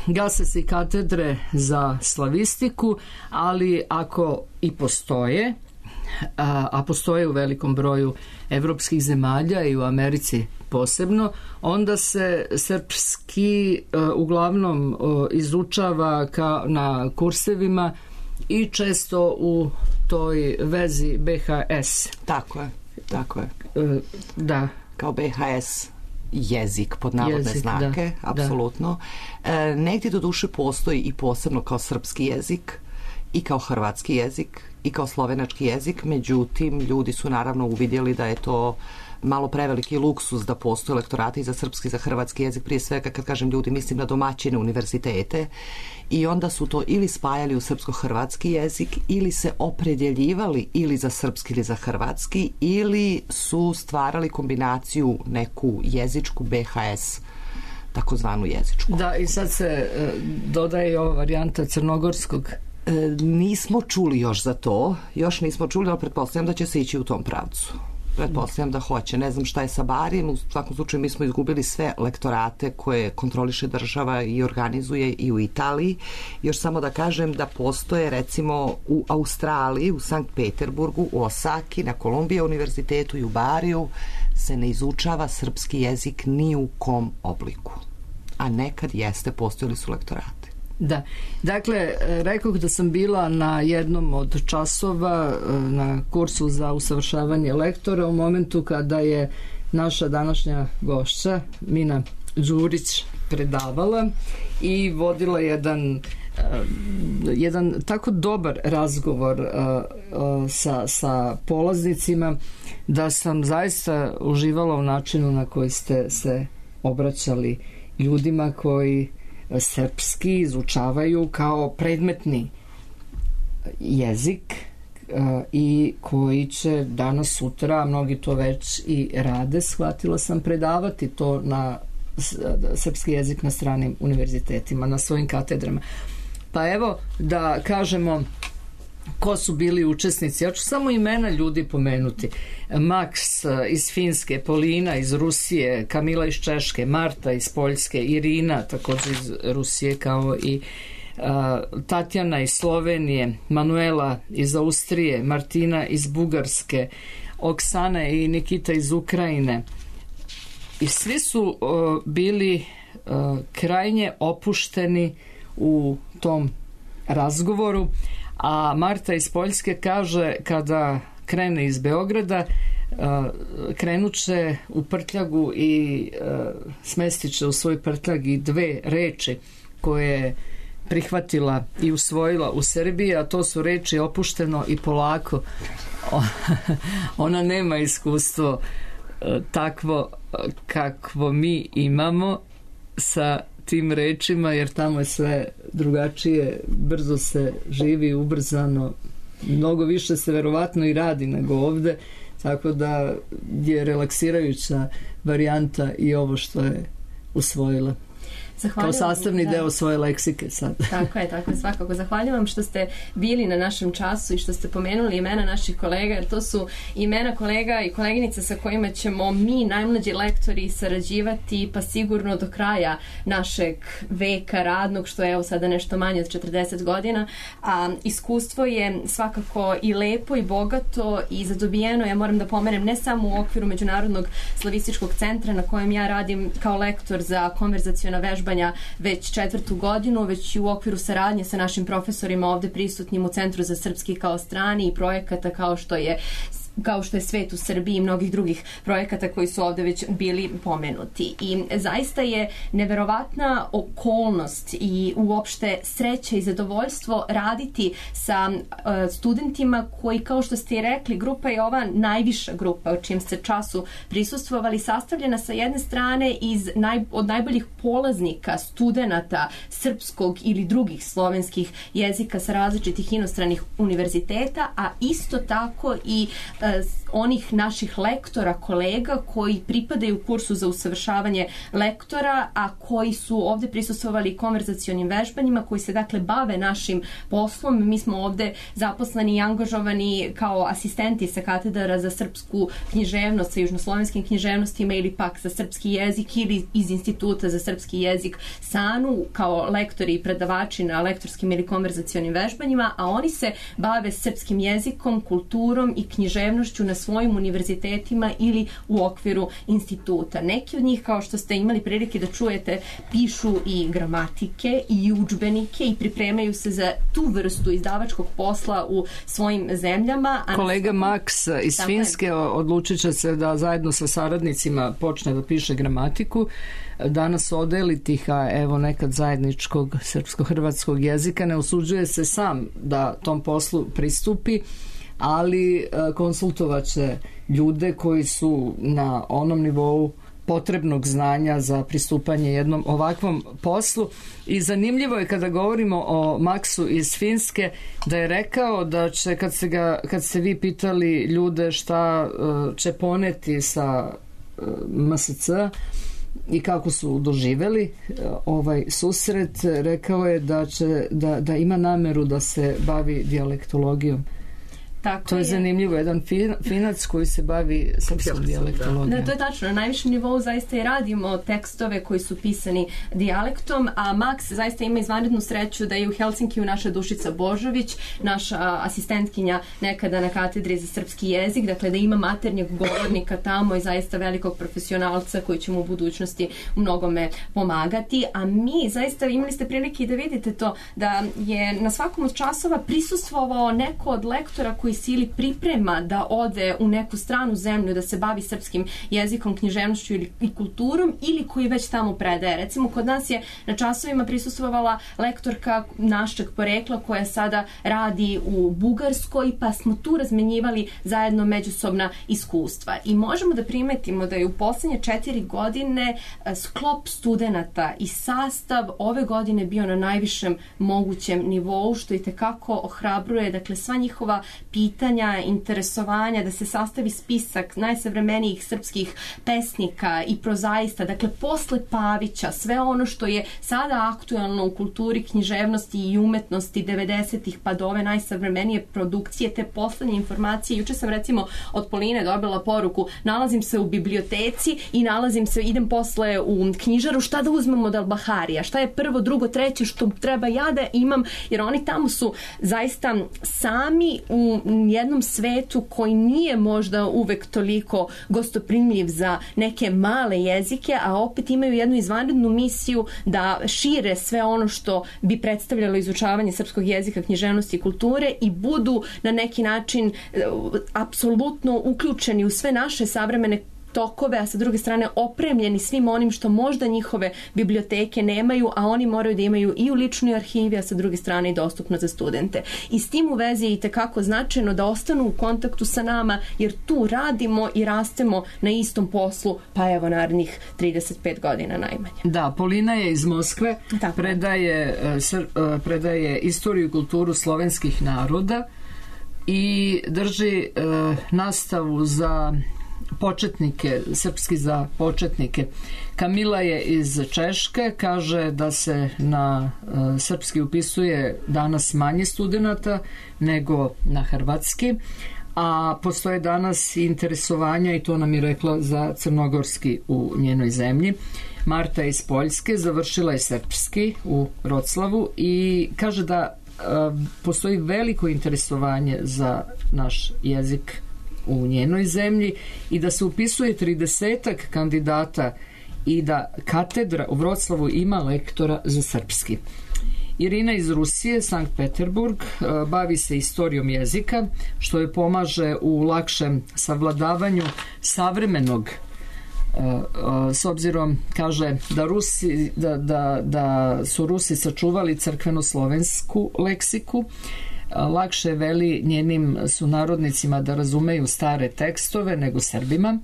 [SPEAKER 4] gase se i katedre za slavistiku, ali ako i postoje, a, a postoje u velikom broju evropskih zemalja i u Americi posebno, onda se srpski uh, uglavnom uh, izučava ka, na kursevima i često u toj vezi be ha es.
[SPEAKER 7] Tako je, tako je.
[SPEAKER 4] Uh, da.
[SPEAKER 7] Kao be ha es jezik pod navodne
[SPEAKER 4] jezik,
[SPEAKER 7] znake,
[SPEAKER 4] da,
[SPEAKER 7] apsolutno. Da. E, negdje do duše postoji i posebno kao srpski jezik i kao hrvatski jezik i kao slovenački jezik, međutim ljudi su naravno uvidjeli da je to malo preveliki luksuz da postoje lektorati za srpski i za hrvatski jezik, prije svega kad kažem ljudi mislim na domaćine univerzitete, i onda su to ili spajali u srpsko-hrvatski jezik ili se opredjeljivali ili za srpski ili za hrvatski ili su stvarali kombinaciju neku jezičku be ha es, takozvanu jezičku.
[SPEAKER 4] Da, i sad se e, dodaje ova varijanta crnogorskog.
[SPEAKER 7] E, nismo čuli još za to, još nismo čuli, ali pretpostavljam da će se ići u tom pravcu. Pretpostavljam da hoće. Ne znam šta je sa Barijem, u svakom slučaju mi smo izgubili sve lektorate koje kontroliše država i organizuje i u Italiji. Još samo da kažem da postoje recimo u Australiji, u Sankt Peterburgu, u Osaki, na Kolumbija univerzitetu i u Bariju se ne izučava srpski jezik ni u kom obliku. A nekad jeste, postojali su lektorati.
[SPEAKER 4] Da, dakle, rekoh da sam bila na jednom od časova na kursu za usavršavanje lektora u momentu kada je naša današnja gošća Mina Đurić predavala i vodila jedan jedan tako dobar razgovor sa, sa polaznicima da sam zaista uživala u načinu na koji ste se obraćali ljudima koji srpski izučavaju kao predmetni jezik i koji će danas sutra, mnogi to već i rade, shvatila sam, predavati to na srpski jezik na stranim univerzitetima, na svojim katedrama. Pa evo da kažemo ko su bili učesnici. Ja ću samo imena ljudi pomenuti. Max iz Finske, Polina iz Rusije, Kamila iz Češke, Marta iz Poljske, Irina također iz Rusije, kao i uh, Tatjana iz Slovenije, Manuela iz Austrije, Martina iz Bugarske, Oksana i Nikita iz Ukrajine. I svi su uh, bili uh, krajnje opušteni u tom razgovoru. A Marta iz Poljske kaže kada krene iz Beograda krenuće u prtljagu i smestit će u svoj prtljag i dve reči koje je prihvatila i usvojila u Srbiji, a to su reči opušteno i polako. Ona nema iskustvo takvo kakvo mi imamo sa tim rečima, jer tamo je sve drugačije, brzo se živi, ubrzano, mnogo više se verovatno i radi nego ovde, tako da je relaksirajuća varijanta i ovo što je usvojila. kao sastavni da. deo svoje leksike sad.
[SPEAKER 6] Tako je, tako je, svakako. Zahvaljujem što ste bili na našem času i što ste pomenuli imena naših kolega, jer to su imena kolega i koleginica sa kojima ćemo mi, najmlađi lektori, sarađivati pa sigurno do kraja našeg veka radnog, što je evo sada nešto manje od četrdeset godina, a iskustvo je svakako i lepo i bogato i zadobijeno, ja moram da pomenem, ne samo u okviru Međunarodnog slavističkog centra na kojem ja radim kao lektor za konverzaciona vežba već četvrtu godinu, već i u okviru saradnje sa našim profesorima ovde prisutnim u Centru za srpski kao strani i projekata kao što je kao što je Svet u Srbiji i mnogih drugih projekata koji su ovde već bili pomenuti. I zaista je neverovatna okolnost i uopšte sreća i zadovoljstvo raditi sa uh, studentima koji, kao što ste i rekli, grupa je ova najviša grupa o čijem ste času prisustvovali, sastavljena sa jedne strane iz naj, od najboljih polaznika, studenata srpskog ili drugih slovenskih jezika sa različitih inostranih univerziteta, a isto tako i uh, onih naših lektora, kolega koji pripadaju kursu za usavršavanje lektora, a koji su ovde prisustvovali konverzacionim vežbanjima, koji se dakle bave našim poslom. Mi smo ovde zaposleni i angažovani kao asistenti sa katedara za srpsku književnost, sa južnoslovenskim književnostima ili pak za srpski jezik ili iz Instituta za srpski jezik SANU kao lektori i predavači na lektorskim ili konverzacionim vežbanjima, a oni se bave srpskim jezikom, kulturom i književnošću na svojim univerzitetima ili u okviru instituta. Neki od njih, kao što ste imali prilike da čujete, pišu i gramatike i udžbenike i pripremaju se za tu vrstu izdavačkog posla u svojim zemljama. A
[SPEAKER 4] kolega Maks iz Finske odlučit će se da zajedno sa saradnicima počne da piše gramatiku. Danas odeli tih, a evo nekad zajedničkog srpsko-hrvatskog jezika, ne usuđuje se sam da tom poslu pristupi, ali konsultovaće ljude koji su na onom nivou potrebnog znanja za pristupanje jednom ovakvom poslu. I zanimljivo je kada govorimo o Maksu iz Finske da je rekao da će, kad ste, ga, kad ste vi pitali ljude šta će poneti sa M S C i kako su doživeli ovaj susret, rekao je da, će, da, da ima nameru da se bavi dijalektologijom. Tako to je, je zanimljivo, jedan fin, finac koji se bavi srpskom dijalektologijom.
[SPEAKER 6] Da, to je tačno. Na najvišem nivou zaista i radimo tekstove koji su pisani dijalektom, a Maks zaista ima izvanrednu sreću da je u Helsinkiju naša Dušica Božović, naša asistentkinja nekada na katedri za srpski jezik, dakle da ima maternjeg govornika tamo i zaista velikog profesionalca koji će mu u budućnosti u mnogome pomagati. A mi zaista imali ste prilike i da vidite to, da je na svakom od časova prisustvovao neko od lektora koji se ili priprema da ode u neku stranu zemlju da se bavi srpskim jezikom, književnošću ili i kulturom, ili koji već tamo predaje. Recimo, kod nas je na časovima prisustvovala lektorka našeg porekla koja sada radi u Bugarskoj, pa smo tu razmenjivali zajedno međusobna iskustva. I možemo da primetimo da je u poslednje četiri godine sklop studenata i sastav ove godine bio na najvišem mogućem nivou, što i tekako ohrabruje, dakle, sva njihova pitanja, interesovanja, da se sastavi spisak najsavremenijih srpskih pesnika i prozaista, dakle posle Pavića, sve ono što je sada aktuelno u kulturi, književnosti i umetnosti devedesetih pa do ove najsavremenije produkcije, te poslednje informacije. Juče sam recimo od Poline dobila poruku, nalazim se u biblioteci i nalazim se, idem posle u knjižaru, šta da uzmem od Al-Baharija, šta je prvo, drugo, treće što treba ja da imam, jer oni tamo su zaista sami u jednom svetu koji nije možda uvek toliko gostoprimljiv za neke male jezike, a opet imaju jednu izvanrednu misiju da šire sve ono što bi predstavljalo izučavanje srpskog jezika, književnosti i kulture i budu na neki način apsolutno uključeni u sve naše savremene tokove, a sa druge strane opremljeni svim onim što možda njihove biblioteke nemaju, a oni moraju da imaju i u ličnoj arhivi, a sa druge strane i dostupno za studente. I s tim u vezi je i tekako značajno da ostanu u kontaktu sa nama, jer tu radimo i rastemo na istom poslu, pa evo narednih trideset pet godina najmanje.
[SPEAKER 4] Da, Polina je iz Moskve, predaje, predaje istoriju i kulturu slovenskih naroda i drži nastavu za početnike, srpski za početnike. Kamila je iz Češke, kaže da se na uh, srpski upisuje danas manje studenata nego na hrvatski, a postoje danas interesovanja, i to nam je rekla, za crnogorski u njenoj zemlji. Marta iz Poljske završila je srpski u Roclavu i kaže da uh, postoji veliko interesovanje za naš jezik u njenoj zemlji i da se upisuje tridesetak kandidata i da katedra u Vroclavu ima lektora za srpski. Irina iz Rusije, Sankt Peterburg, bavi se istorijom jezika, što joj pomaže u lakšem savladavanju savremenog, s obzirom, kaže, da, Rusi, da, da, da su Rusi sačuvali crkveno-slovensku leksiku. Lakše veli njenim sunarodnicima da razumeju stare tekstove nego Srbima.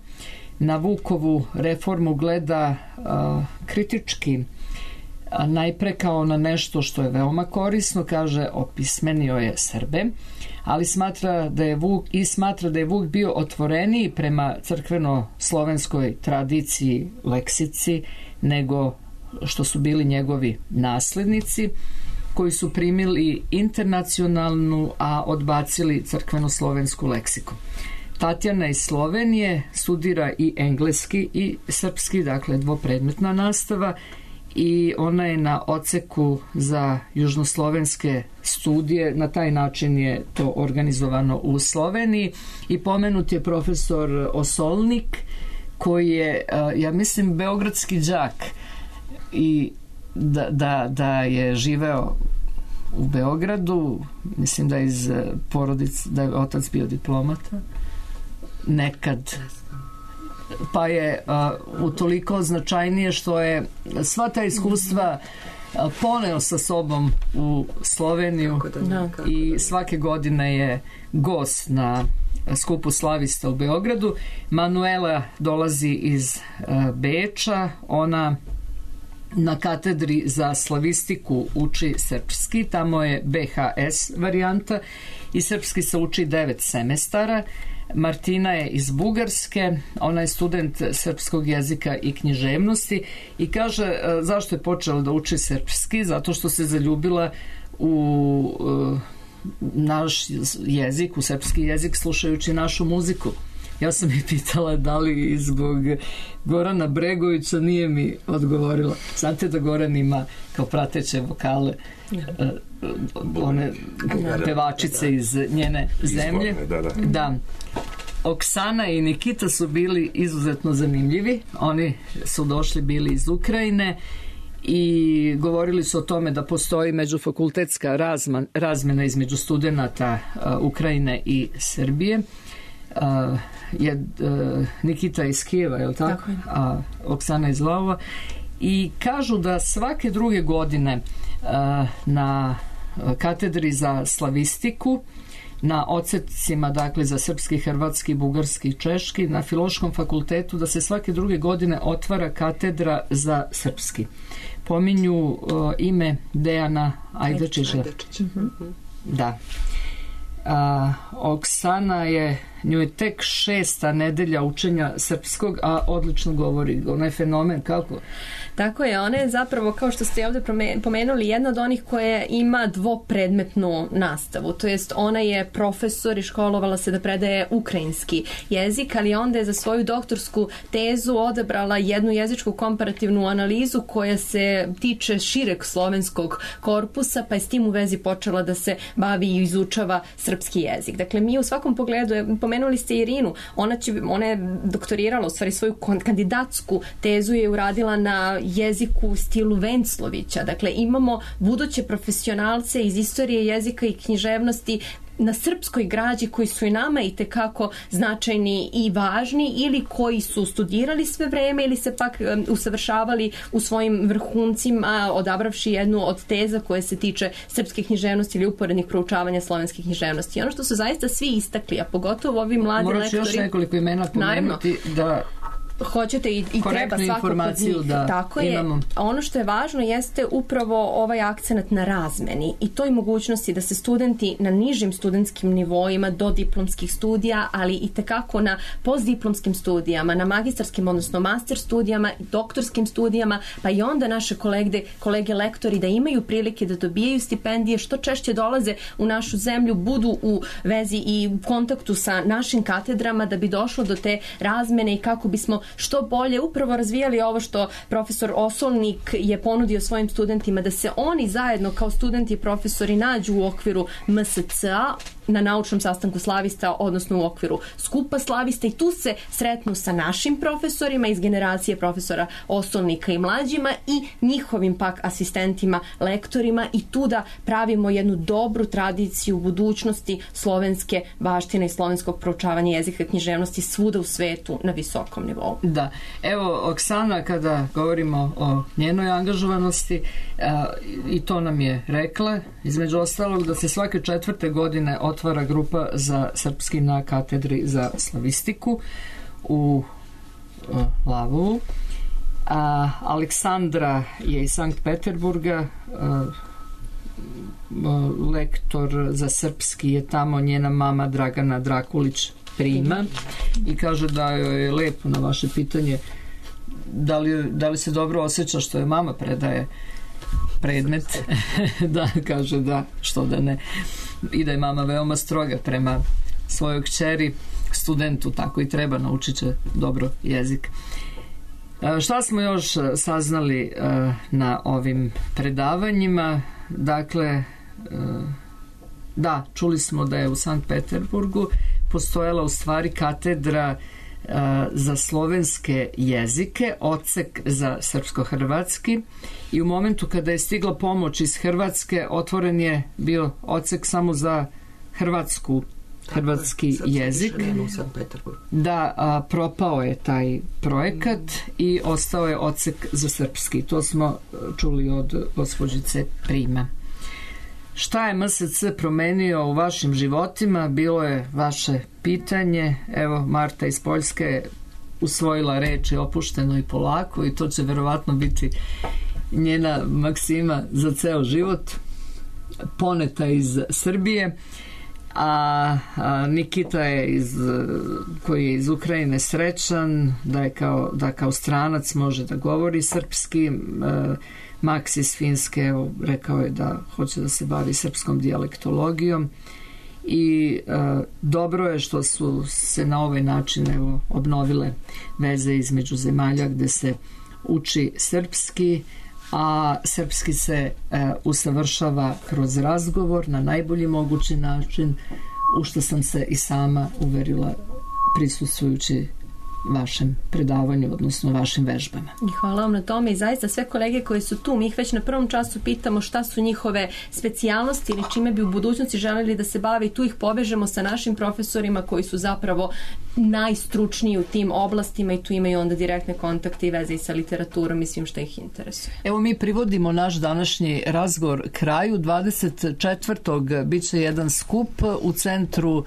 [SPEAKER 4] Na Vukovu reformu gleda a, kritički, a najpre kao na nešto što je veoma korisno, kaže, opismenio je Srbe, ali smatra da je Vuk i smatra da je Vuk bio otvoreniji prema crkveno-slovenskoj tradiciji, leksici, nego što su bili njegovi naslednici, koji su primili internacionalnu, a odbacili crkveno-slovensku leksiku. Tatjana iz Slovenije studira i engleski i srpski, dakle dvopredmetna nastava, i ona je na odseku za južnoslovenske studije. Na taj način je to organizovano u Sloveniji. I pomenut je profesor Osolnik, koji je, ja mislim, beogradski đak i da, da, da je živeo u Beogradu, mislim da je iz porodice, da je otac bio diplomata nekad, pa je uh, utoliko značajnije što je sva ta iskustva uh, poneo sa sobom u Sloveniju da, i svake godine je gost na skupu slavista u Beogradu. Manuela dolazi iz uh, Beča, ona na katedri za slavistiku uči srpski, tamo je be ha es varijanta i srpski se uči devet semestara. Martina je iz Bugarske, ona je student srpskog jezika i književnosti i kaže zašto je počela da uči srpski, zato što se zaljubila u uh, naš jezik, u srpski jezik, slušajući našu muziku. Ja sam je pitala da li zbog Gorana Bregovića, nije mi odgovorila. Znate da Goran ima kao prateće vokale uh, one pevačice iz njene zemlje. Da, da. Da. Oksana i Nikita su bili izuzetno zanimljivi. Oni su došli bili iz Ukrajine i govorili su o tome da postoji međufakultetska razman, razmena između studenata uh, Ukrajine i Srbije. Uh, je uh, Nikita iz Kijeva, je li tako? Tako je. A Oksana iz Lvova. I kažu da svake druge godine uh, na katedri za slavistiku, na odsecima, dakle, za srpski, hrvatski, bugarski i češki, na Filološkom fakultetu, da se svake druge godine otvara katedra za srpski. Pominju uh, ime Dejana Ajdačića. Ajdačića. Da. A, Oksana je, nju je tek šesta nedelja učenja srpskog, a odlično govori. Ona je fenomen, kako?
[SPEAKER 6] Tako je, ona je zapravo, kao što ste ovdje pomenuli, jedna od onih koja ima dvopredmetnu nastavu. To jest, ona je profesor i školovala se da predaje ukrajinski jezik, ali onda je za svoju doktorsku tezu odabrala jednu jezičku komparativnu analizu koja se tiče šireg slovenskog korpusa, pa je s tim u vezi počela da se bavi i izučava srpski jezik. Dakle, mi u svakom pogledu, pomenuli ste Irinu, ona, će, ona je doktorirala, u stvari svoju kandidatsku tezu je uradila na jeziku u stilu Venclovića. Dakle, imamo buduće profesionalce iz istorije jezika i književnosti na srpskoj građi koji su i nama i tekako značajni i važni, ili koji su studirali sve vreme ili se pak um, usavršavali u svojim vrhuncima, odabravši jednu od teza koje se tiče srpske književnosti ili uporednih proučavanja slovenske književnosti. I ono što su zaista svi istakli, a pogotovo ovi mladi
[SPEAKER 4] lektori...
[SPEAKER 6] Morat ću
[SPEAKER 4] još nekoliko imena pomenuti, da
[SPEAKER 6] hoćete i, i treba svako kod njih.
[SPEAKER 4] Da,
[SPEAKER 6] tako je.
[SPEAKER 4] Imamo.
[SPEAKER 6] Ono što je važno jeste upravo ovaj akcenat na razmeni i toj mogućnosti da se studenti na nižim studentskim nivoima do diplomskih studija, ali i tekako na postdiplomskim studijama, na magistarskim, odnosno master studijama, doktorskim studijama, pa i onda naše kolege, kolege lektori da imaju prilike da dobijaju stipendije, što češće dolaze u našu zemlju, budu u vezi i u kontaktu sa našim katedrama da bi došlo do te razmene i kako bismo što bolje upravo razvijali ovo što profesor Osolnik je ponudio svojim studentima, da se oni zajedno kao studenti i profesori nađu u okviru M S C A na naučnom sastanku slavista, odnosno u okviru skupa slavista i tu se sretnu sa našim profesorima iz generacije profesora Osolnika i mlađima i njihovim pak asistentima, lektorima i tu da pravimo jednu dobru tradiciju budućnosti slovenske baštine i slovenskog proučavanja jezika i književnosti svuda u svetu na visokom nivou.
[SPEAKER 4] Da. Evo, Oksana, kada govorimo o njenoj angažovanosti, a, i to nam je rekla, između ostalog, da se svake četvrte godine otvara grupa za srpski na katedri za slavistiku u a, Lavovu. A, Aleksandra je iz Sankt Peterburga, a, lektor za srpski je tamo, njena mama Dragana Drakulić prima i kaže da joj je lepo na vaše pitanje da li, da li se dobro osjeća što je mama predaje predmet da, kaže da, što da ne, i da je mama veoma stroga prema svojoj kćeri, studentu, tako i treba, naučit će dobro jezik. Šta smo još saznali na ovim predavanjima? Dakle, da, čuli smo da je u Sankt Peterburgu postojala u stvari katedra za slovenske jezike, odsek za srpsko-hrvatski i u momentu kada je stigla pomoć iz Hrvatske otvoren je bio odsek samo za hrvatsku hrvatski jezik. Da, a, propao je taj projekat i ostao je odsek za srpski. To smo čuli od gospođice Prima. Šta je M S C promenio u vašim životima? Bilo je vaše pitanje. Evo, Marta iz Poljske je usvojila reči opušteno i polako i to će verovatno biti njena maksima za ceo život. Poneta iz Srbije. A, a Nikita je iz, koji je iz Ukrajine srećan da je kao, da kao stranac može da govori srpski. A, Maks iz Finske, evo, rekao je da hoće da se bavi srpskom dijalektologijom i a, dobro je što su se na ovaj način evo, obnovile veze između zemalja gde se uči srpski, a srpski se e, usavršava kroz razgovor na najbolji mogući način, u što sam se i sama uverila prisustvujući vašem predavanju, odnosno vašim vežbama.
[SPEAKER 6] Hvala vam na tome i zaista sve kolege koji su tu, mi ih već na prvom času pitamo šta su njihove specijalnosti ili čime bi u budućnosti želeli da se bave i tu ih povežemo sa našim profesorima koji su zapravo najstručniji u tim oblastima i tu imaju onda direktne kontakte i veze i sa literaturom i svim što ih interesuje.
[SPEAKER 4] Evo mi privodimo naš današnji razgovor kraju. dvadeset četvrtog bit će jedan skup u Centru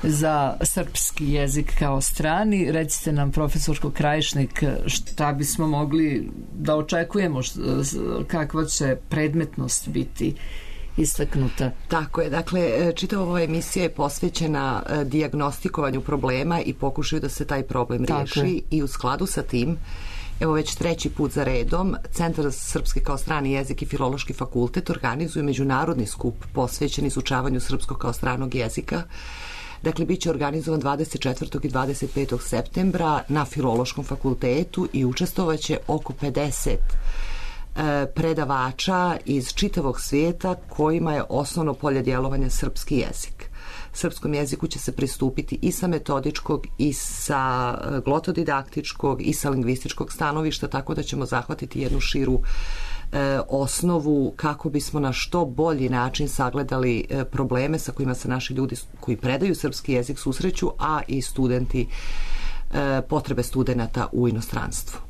[SPEAKER 4] za srpski jezik kao strani. Recite nam, profesorko Krajišnik, šta bismo mogli da očekujemo, kakva će predmetnost biti istaknuta.
[SPEAKER 7] Tako je, dakle, čitava ova emisija je posvećena dijagnostikovanju problema i pokušaju da se taj problem riješi i u skladu sa tim, evo već treći put za redom, Centar za srpski kao strani jezik i Filološki fakultet organizuje međunarodni skup posvećen izučavanju srpskog kao stranog jezika. Dakle, bit će organizovan dvadeset četvrtog i dvadeset petog septembra na Filološkom fakultetu i učestvovaće oko pedeset predavača iz čitavog svijeta kojima je osnovno polje djelovanja srpski jezik. Srpskom jeziku će se pristupiti i sa metodičkog i sa glotodidaktičkog i sa lingvističkog stanovišta, tako da ćemo zahvatiti jednu širu e, osnovu kako bismo na što bolji način sagledali e, probleme sa kojima se naši ljudi koji predaju srpski jezik susreću, a i studenti, e, potrebe studenata u inostranstvu.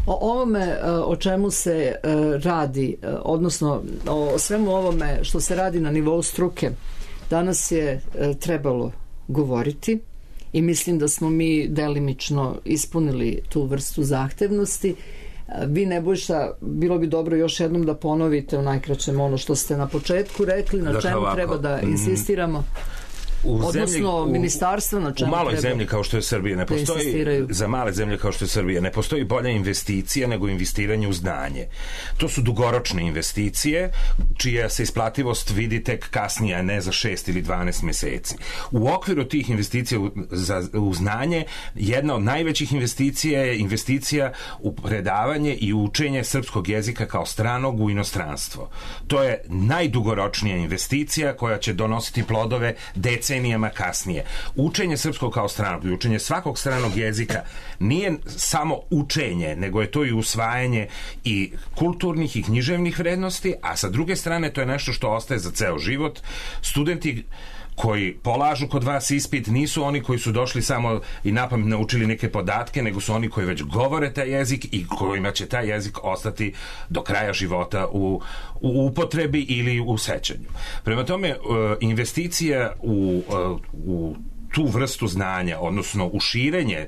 [SPEAKER 4] O ovome o čemu se radi, odnosno o svemu ovome što se radi na nivou struke, danas je trebalo govoriti i mislim da smo mi delimično ispunili tu vrstu zahtevnosti. Vi, Nebojša, bilo bi dobro još jednom da ponovite u najkraćem ono što ste na početku rekli, na
[SPEAKER 3] dakle,
[SPEAKER 4] čemu
[SPEAKER 3] ovako,
[SPEAKER 4] treba da insistiramo.
[SPEAKER 3] U
[SPEAKER 4] odnosno
[SPEAKER 3] zemlji, u,
[SPEAKER 4] ministarstvo na čemu
[SPEAKER 3] u maloj
[SPEAKER 4] treba
[SPEAKER 3] zemlji kao što je Srbija ne postoji, za male zemlje kao što je Srbija ne postoji bolja investicija nego investiranje u znanje. To su dugoročne investicije čija se isplativost vidi tek kasnije, a ne za šest ili dvanaest meseci. U okviru tih investicija u, za, u znanje jedna od najvećih investicija je investicija u predavanje i učenje srpskog jezika kao stranog u inostranstvo. To je najdugoročnija investicija koja će donositi plodove decenijama kasnije. Učenje srpskog kao stranog i učenje svakog stranog jezika nije samo učenje, nego je to i usvajanje i kulturnih i književnih vrednosti, a sa druge strane to je nešto što ostaje za ceo život. Studenti koji polažu kod vas ispit nisu oni koji su došli samo i napamet naučili neke podatke, nego su oni koji već govore taj jezik i kojima će taj jezik ostati do kraja života u, u upotrebi ili u sećanju. Prema tome, investicija u, u tu vrstu znanja, odnosno u širenje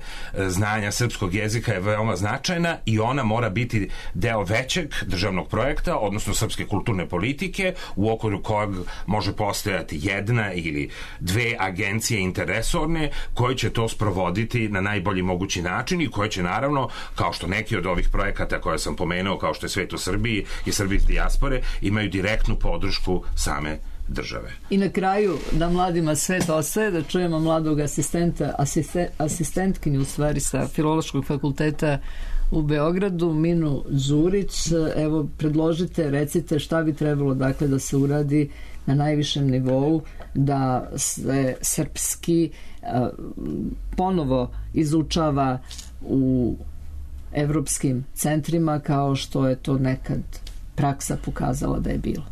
[SPEAKER 3] znanja srpskog jezika je veoma značajna i ona mora biti deo većeg državnog projekta, odnosno srpske kulturne politike, u okviru kojeg može postojati jedna ili dve agencije interesorne koje će to sprovoditi na najbolji mogući način i koje će naravno, kao što neki od ovih projekata koje sam pomenuo, kao što je Svet u Srbiji i Srbi iz dijaspore, imaju direktnu podršku same države.
[SPEAKER 4] I na kraju da mladima svet ostaje, da čujemo mladog asistenta, asisten, asistentkinju u stvari sa Filološkog fakulteta u Beogradu, Minu Đurić. Evo, predložite, recite šta bi trebalo dakle da se uradi na najvišem nivou da se srpski a, ponovo izučava u evropskim centrima kao što je to nekad praksa pokazala da je bilo.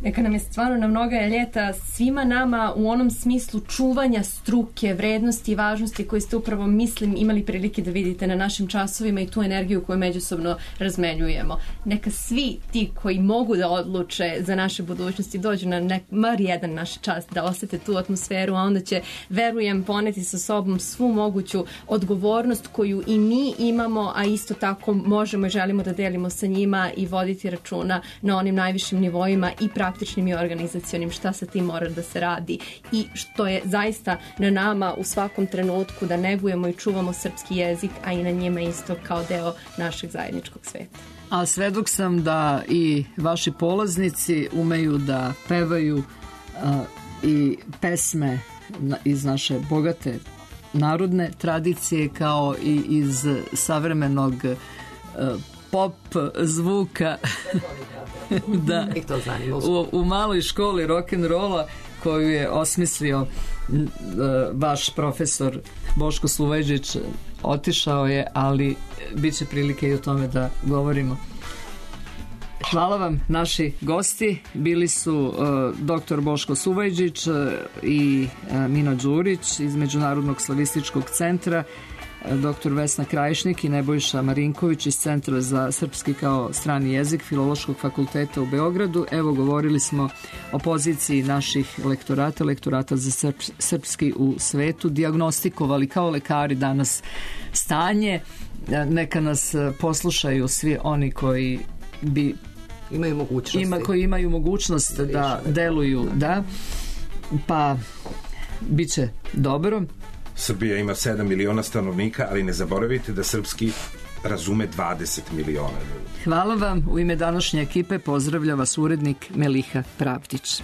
[SPEAKER 6] Neka nam je stvarno na mnoga ljeta svima nama u onom smislu čuvanja struke, vrednosti i važnosti koje ste upravo, mislim, imali prilike da vidite na našim časovima i tu energiju koju međusobno razmenjujemo. Neka svi ti koji mogu da odluče za naše budućnosti dođu na nek, mar jedan naš čas da osete tu atmosferu, a onda će, verujem, poneti sa sobom svu moguću odgovornost koju i mi imamo, a isto tako možemo i želimo da delimo sa njima i voditi računa na onim najvišim nivoima i praktičnim i organizacionim šta sa tim mora da se radi i što je zaista na nama u svakom trenutku da negujemo i čuvamo srpski jezik, a i na njima isto kao deo našeg zajedničkog sveta.
[SPEAKER 4] A svedok sam da i vaši polaznici umeju da pevaju uh, i pesme na, iz naše bogate narodne tradicije kao i iz savremenog uh, pop zvuka da, u, u maloj školi rock'n'rolla koju je osmislio uh, vaš profesor Boško Sluvejđić. Otišao je, ali bit će prilike i o tome da govorimo. Hvala vam, naši gosti. Bili su uh, doktor Boško Suvajđić uh, i uh, Mina Đurić iz Međunarodnog slavističkog centra, doktor Vesna Krajišnik i Nebojša Marinković iz Centra za srpski kao strani jezik Filološkog fakulteta u Beogradu. Evo, govorili smo o poziciji naših lektorata, lektorata za srp, srpski u svetu, dijagnostikovali kao lekari danas stanje. Neka nas poslušaju svi oni koji bi
[SPEAKER 7] imaju mogućnosti.
[SPEAKER 4] Ima, koji imaju mogućnost da, da deluju, da, pa bit će dobro.
[SPEAKER 3] Srbija ima sedam miliona stanovnika, ali ne zaboravite da srpski razume dvadeset miliona ljudi.
[SPEAKER 4] Hvala vam. U ime današnje ekipe pozdravlja vas urednik Meliha Pravdić.